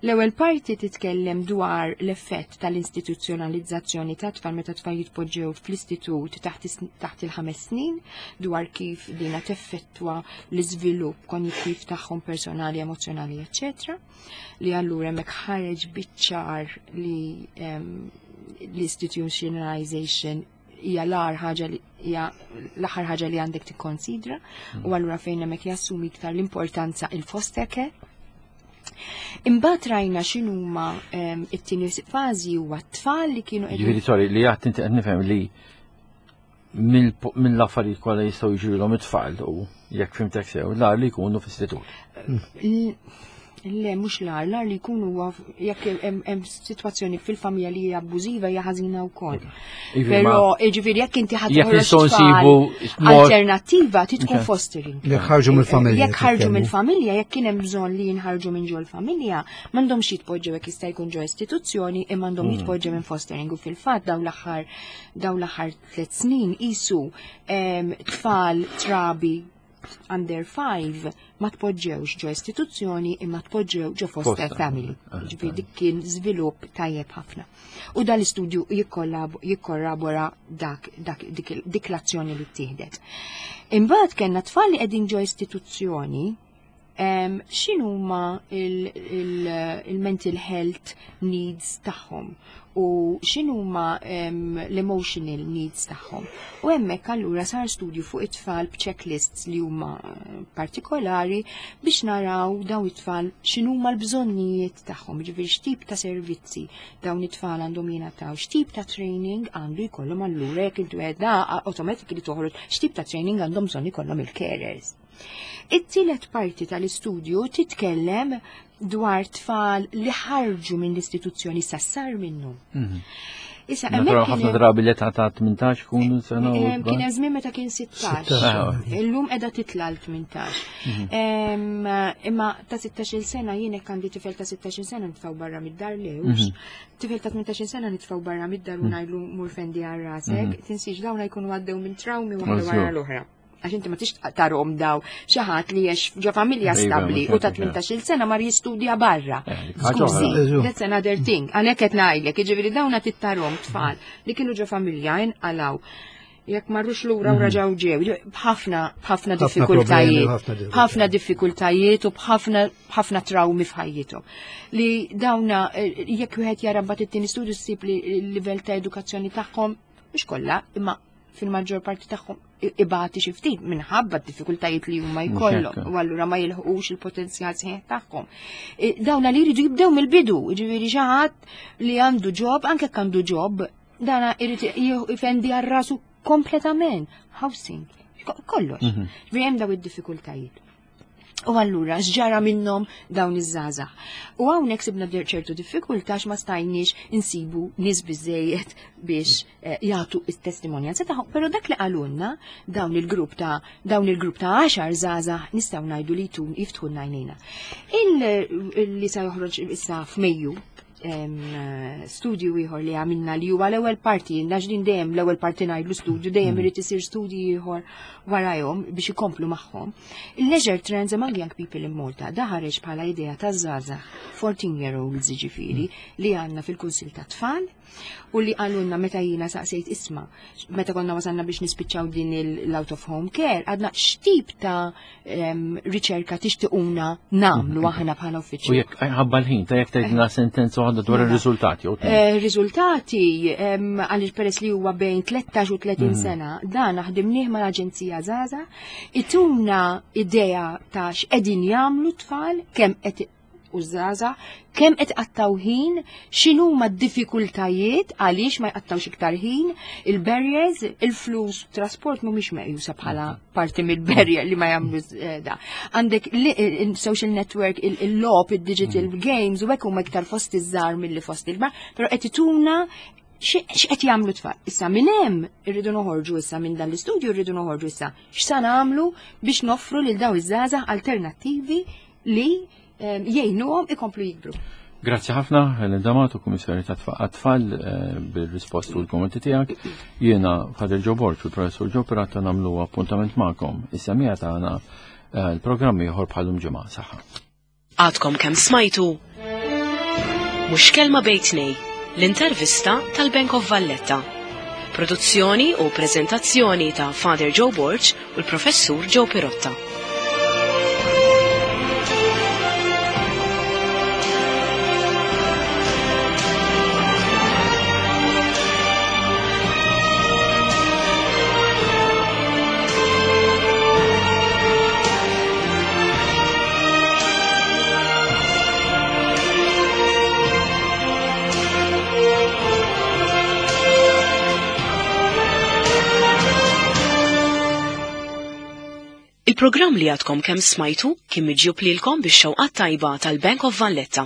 S3: L-ewwel parti titkellem dwar l-effett tal-istituzzjonalizzazzjoni ta' tfal meta tfal jitpoġġew fl-istitut taħt is- taħt il-ħames snin, dwar kif dina teffettwa l-iżvilupp konjittiv tagħhom personali, emozjonali, eċċetera. Li allura hemmhekk ħareġ biċ-ċar li em, l-institutionalization hija l-agħar ħaġa li hija l-aħħar ħaġa li għandek tikkonsidra u allura fejn hemmhekk jassumi iktar l-importanza il-foster care. Imbagħad rajna x'inhuma em, it-tieni fażi huwa t-tfal li kienu qegħdin
S2: Ġifieri, sorry, li għat inti qed nifhem li mill- mill-affarijiet kollha jistgħu jiġrilhom it-tfal u jekk fhimtek sew, l-agħar li jkunu f'istitut.
S3: L- Le, mhux l-agħar, l-agħar li jkunu huwa jekk hemm hemm sitwazzjoni fil-familja li hija abbużiva hija ħażina wkoll.
S2: Ivi,
S3: Però,
S2: ma-
S3: jiġifieri jekk inti ħadd
S2: Jekk
S3: toħroġ
S2: nistgħu
S3: tfal,
S2: nsibu mod-
S3: alternattiva ti tkun
S2: Ok.
S3: fostering.
S4: Jekk ħarġu mill-familja.
S3: Jekk ħarġu
S4: titkellmu.
S3: mill-familja, jekk kien hemm bżonn li jinħarġu minn ġol familja, m'għandhomx jitpoġġew jekk jista' jkun ġo istituzzjoni, imma għandhom jitpoġġew minn fostering u fil-fatt dawn l-aħħar dawn l-aħħar tliet snin qisu em, tfal trabi under five ma tpoġġewx ġo istituzzjoni imma tpoġġew ġo foster
S2: Foster.
S3: family.
S2: Ah,
S3: Ġifieri dik kien żvilupp tajjeb ħafna. U dal-istudju jikkollab- jikkorrabora dak, dak, dik, dik l-azzjoni li ttieħdet. Imbagħad kellna tfal li qegħdin ġo istituzzjoni um, x'inhuma il-mental health needs tagħhom u x'inhuma um, l-emotional needs tagħhom. U hemmhekk allura sar studju fuq it-tfal b'checklists li huma eh, partikolari biex naraw daw it-tfal x'inhuma l-bżonnijiet tagħhom, ġifieri x'tip ta' servizzi dawn it-tfal għandhom jingħataw, x'tip ta' training għandu jkollhom allura jekk intu għedna automatically toħroġ x'tip ta' training għandhom bżonn ikollhom il-carers. It-tielet parti tal-istudju titkellem dwar tfal li ħarġu minn l-istituzzjoni sassar minnu. Issa, hemmhekk
S2: Naturalment
S3: kien
S2: ħafna
S3: hemm-
S2: drabi l-età ta' tmintax kunu sena u
S3: Em, Kien hemm żmien meta kien sittax.
S2: Ah,
S3: Illum qiegħda titla' l tmintax. Em, Imma ta' sittax-il sena jien hekk għandi tifel ta' sittax-il sena nitfgħu barra mid-dar lewx. Tifel ta' tmintax-il sena nitfgħu barra mid-dar u ngħidlu mur fendi għal rasek. Tinsiex dawn jkunu għaddew minn trawmi waħda
S2: Żgur.
S3: wara l-oħra. Għax inti ma tix tarhom daw xi ħadd li jgħix ġo familja
S2: Iva,
S3: stabbli
S2: mhux
S3: u ta'
S2: hekk,
S3: tmintax-il sena mar jistudja barra.
S2: Eh, dik ħaġa
S3: Skużi,
S4: oħra.
S3: that's another thing. Għalhekk qed ngħidlek, jiġifieri dawna tittarhom tfal li kienu ġo familja inqalaw. Jekk marrux lura u raġaw ġew, b'ħafna b'ħafna
S4: Ħafna
S3: diffikultajiet,
S4: problemi u ħafna diffikultajiet.
S3: ħafna diffikultajiet u b'ħafna b'ħafna trawmi f'ħajjithom. Li dawna eh, jekk wieħed jara mbagħad it-tieni studju ssib li l-livell ta' edukazzjoni tagħhom mhux kollha, imma fil-maġġor parti tagħhom i- ibati xi ftit minħabba d-diffikultajiet li huma
S2: Mhux
S3: jkollhom
S2: hekk.
S3: u allura ma jilħqux il-potenzjal sħiħ tagħhom. E, Dawna li jridu jibdew mill-bidu, jiġifieri xi ħadd li għandu job, anke jekk għandu job, dana irid jifendi għal rasu kompletament. Housing, ko- kollox. Ġifieri hemm daw id-diffikultajiet. U allura x'ġara minnhom dawn iż-żgħażagħ. U hawnhekk sibna ċertu diffikultà ma stajniex insibu nies biżejjed biex eh, jagħtu it-testimonjanza tagħhom. Però dak li qalulna dawn il-grupp ta' dawn il-grupp ta' għaxar żgħażagħ nistgħu ngħidu li jtun jiftħu għajnejna. Il li sa joħroġ issa f'Mejju em, studju ieħor li għamilna li huwa l-ewwel parti, għax din dejjem l-ewwel parti ngħidlu studju, dejjem irid isir studji ieħor warajhom biex ikomplu magħhom. Il-Leisure Trends Among Young People in Malta da ħareġ bħala idea ta' żgħażagħ fourteen year olds ġifieri li għandna fil-Kunsil ta' Tfal u li qalulna meta jiena saqsejt isma' meta konna wasalna biex nispiċċaw din l-out of home care, għadna x'tip ta' em, riċerka tixtiquna nagħmlu aħna bħala
S2: U
S3: uffiċċju.
S2: jekk ħabba l-ħin, ta' jekk tgħidilna sentenza waħda dwar
S3: Mela.
S2: ir-riżultati jew tnejn.
S3: Eh, Riżultati em, għaliex peress li huwa bejn tlettax u tletin sena, dan ħdimnieh mal-Aġenzija Żgħażagħ, ituna idea ta' x'qegħdin jagħmlu tfal, kemm qed u żgħażagħ, kemm qed qattaw ħin, x'inhuma d-diffikultajiet għaliex ma jqattawx iktar ħin, il-barriers, il-flus, trasport mhumiex meqjusa bħala parti mill-barrier li ma jagħmlu eh, da. Għandek li- il-social network, il- il-logħob, il-digital games, u hekk huma iktar fost iż-żgħar milli fost il-kbar, però qed ituna x'qed jagħmlu tfal. Issa minn hemm irridu noħorġu issa minn dan l-istudju irridu noħorġu issa x'sa nagħmlu biex noffru lil daw iż-żgħażagħ alternattivi li em, jgħinuhom ikomplu jikbru.
S2: Grazzi ħafna, Helen D'Amato, Kummissarju ta' Tfal, eh, bil-risposti u l-kommenti tiegħek. Jiena Father Joe Borg u l-Professur Joe Pirotta nagħmlu appuntament magħkom. Is-semmiegħa tagħna eh, l-programm ieħor bħalum ġimgħa. Saħħa.
S1: Għadkom kemm smajtu Mhux Kelma Bejn Tnejn, l-intervista tal-Bank of Valletta. Produzzjoni u prezentazzjoni ta' Father Joe Borg u l-Professur Joe Pirotta. Il-programm li għadkom kemm smajtu kien miġjub lilkom bix-xewqat tajba tal-Bank of Valletta.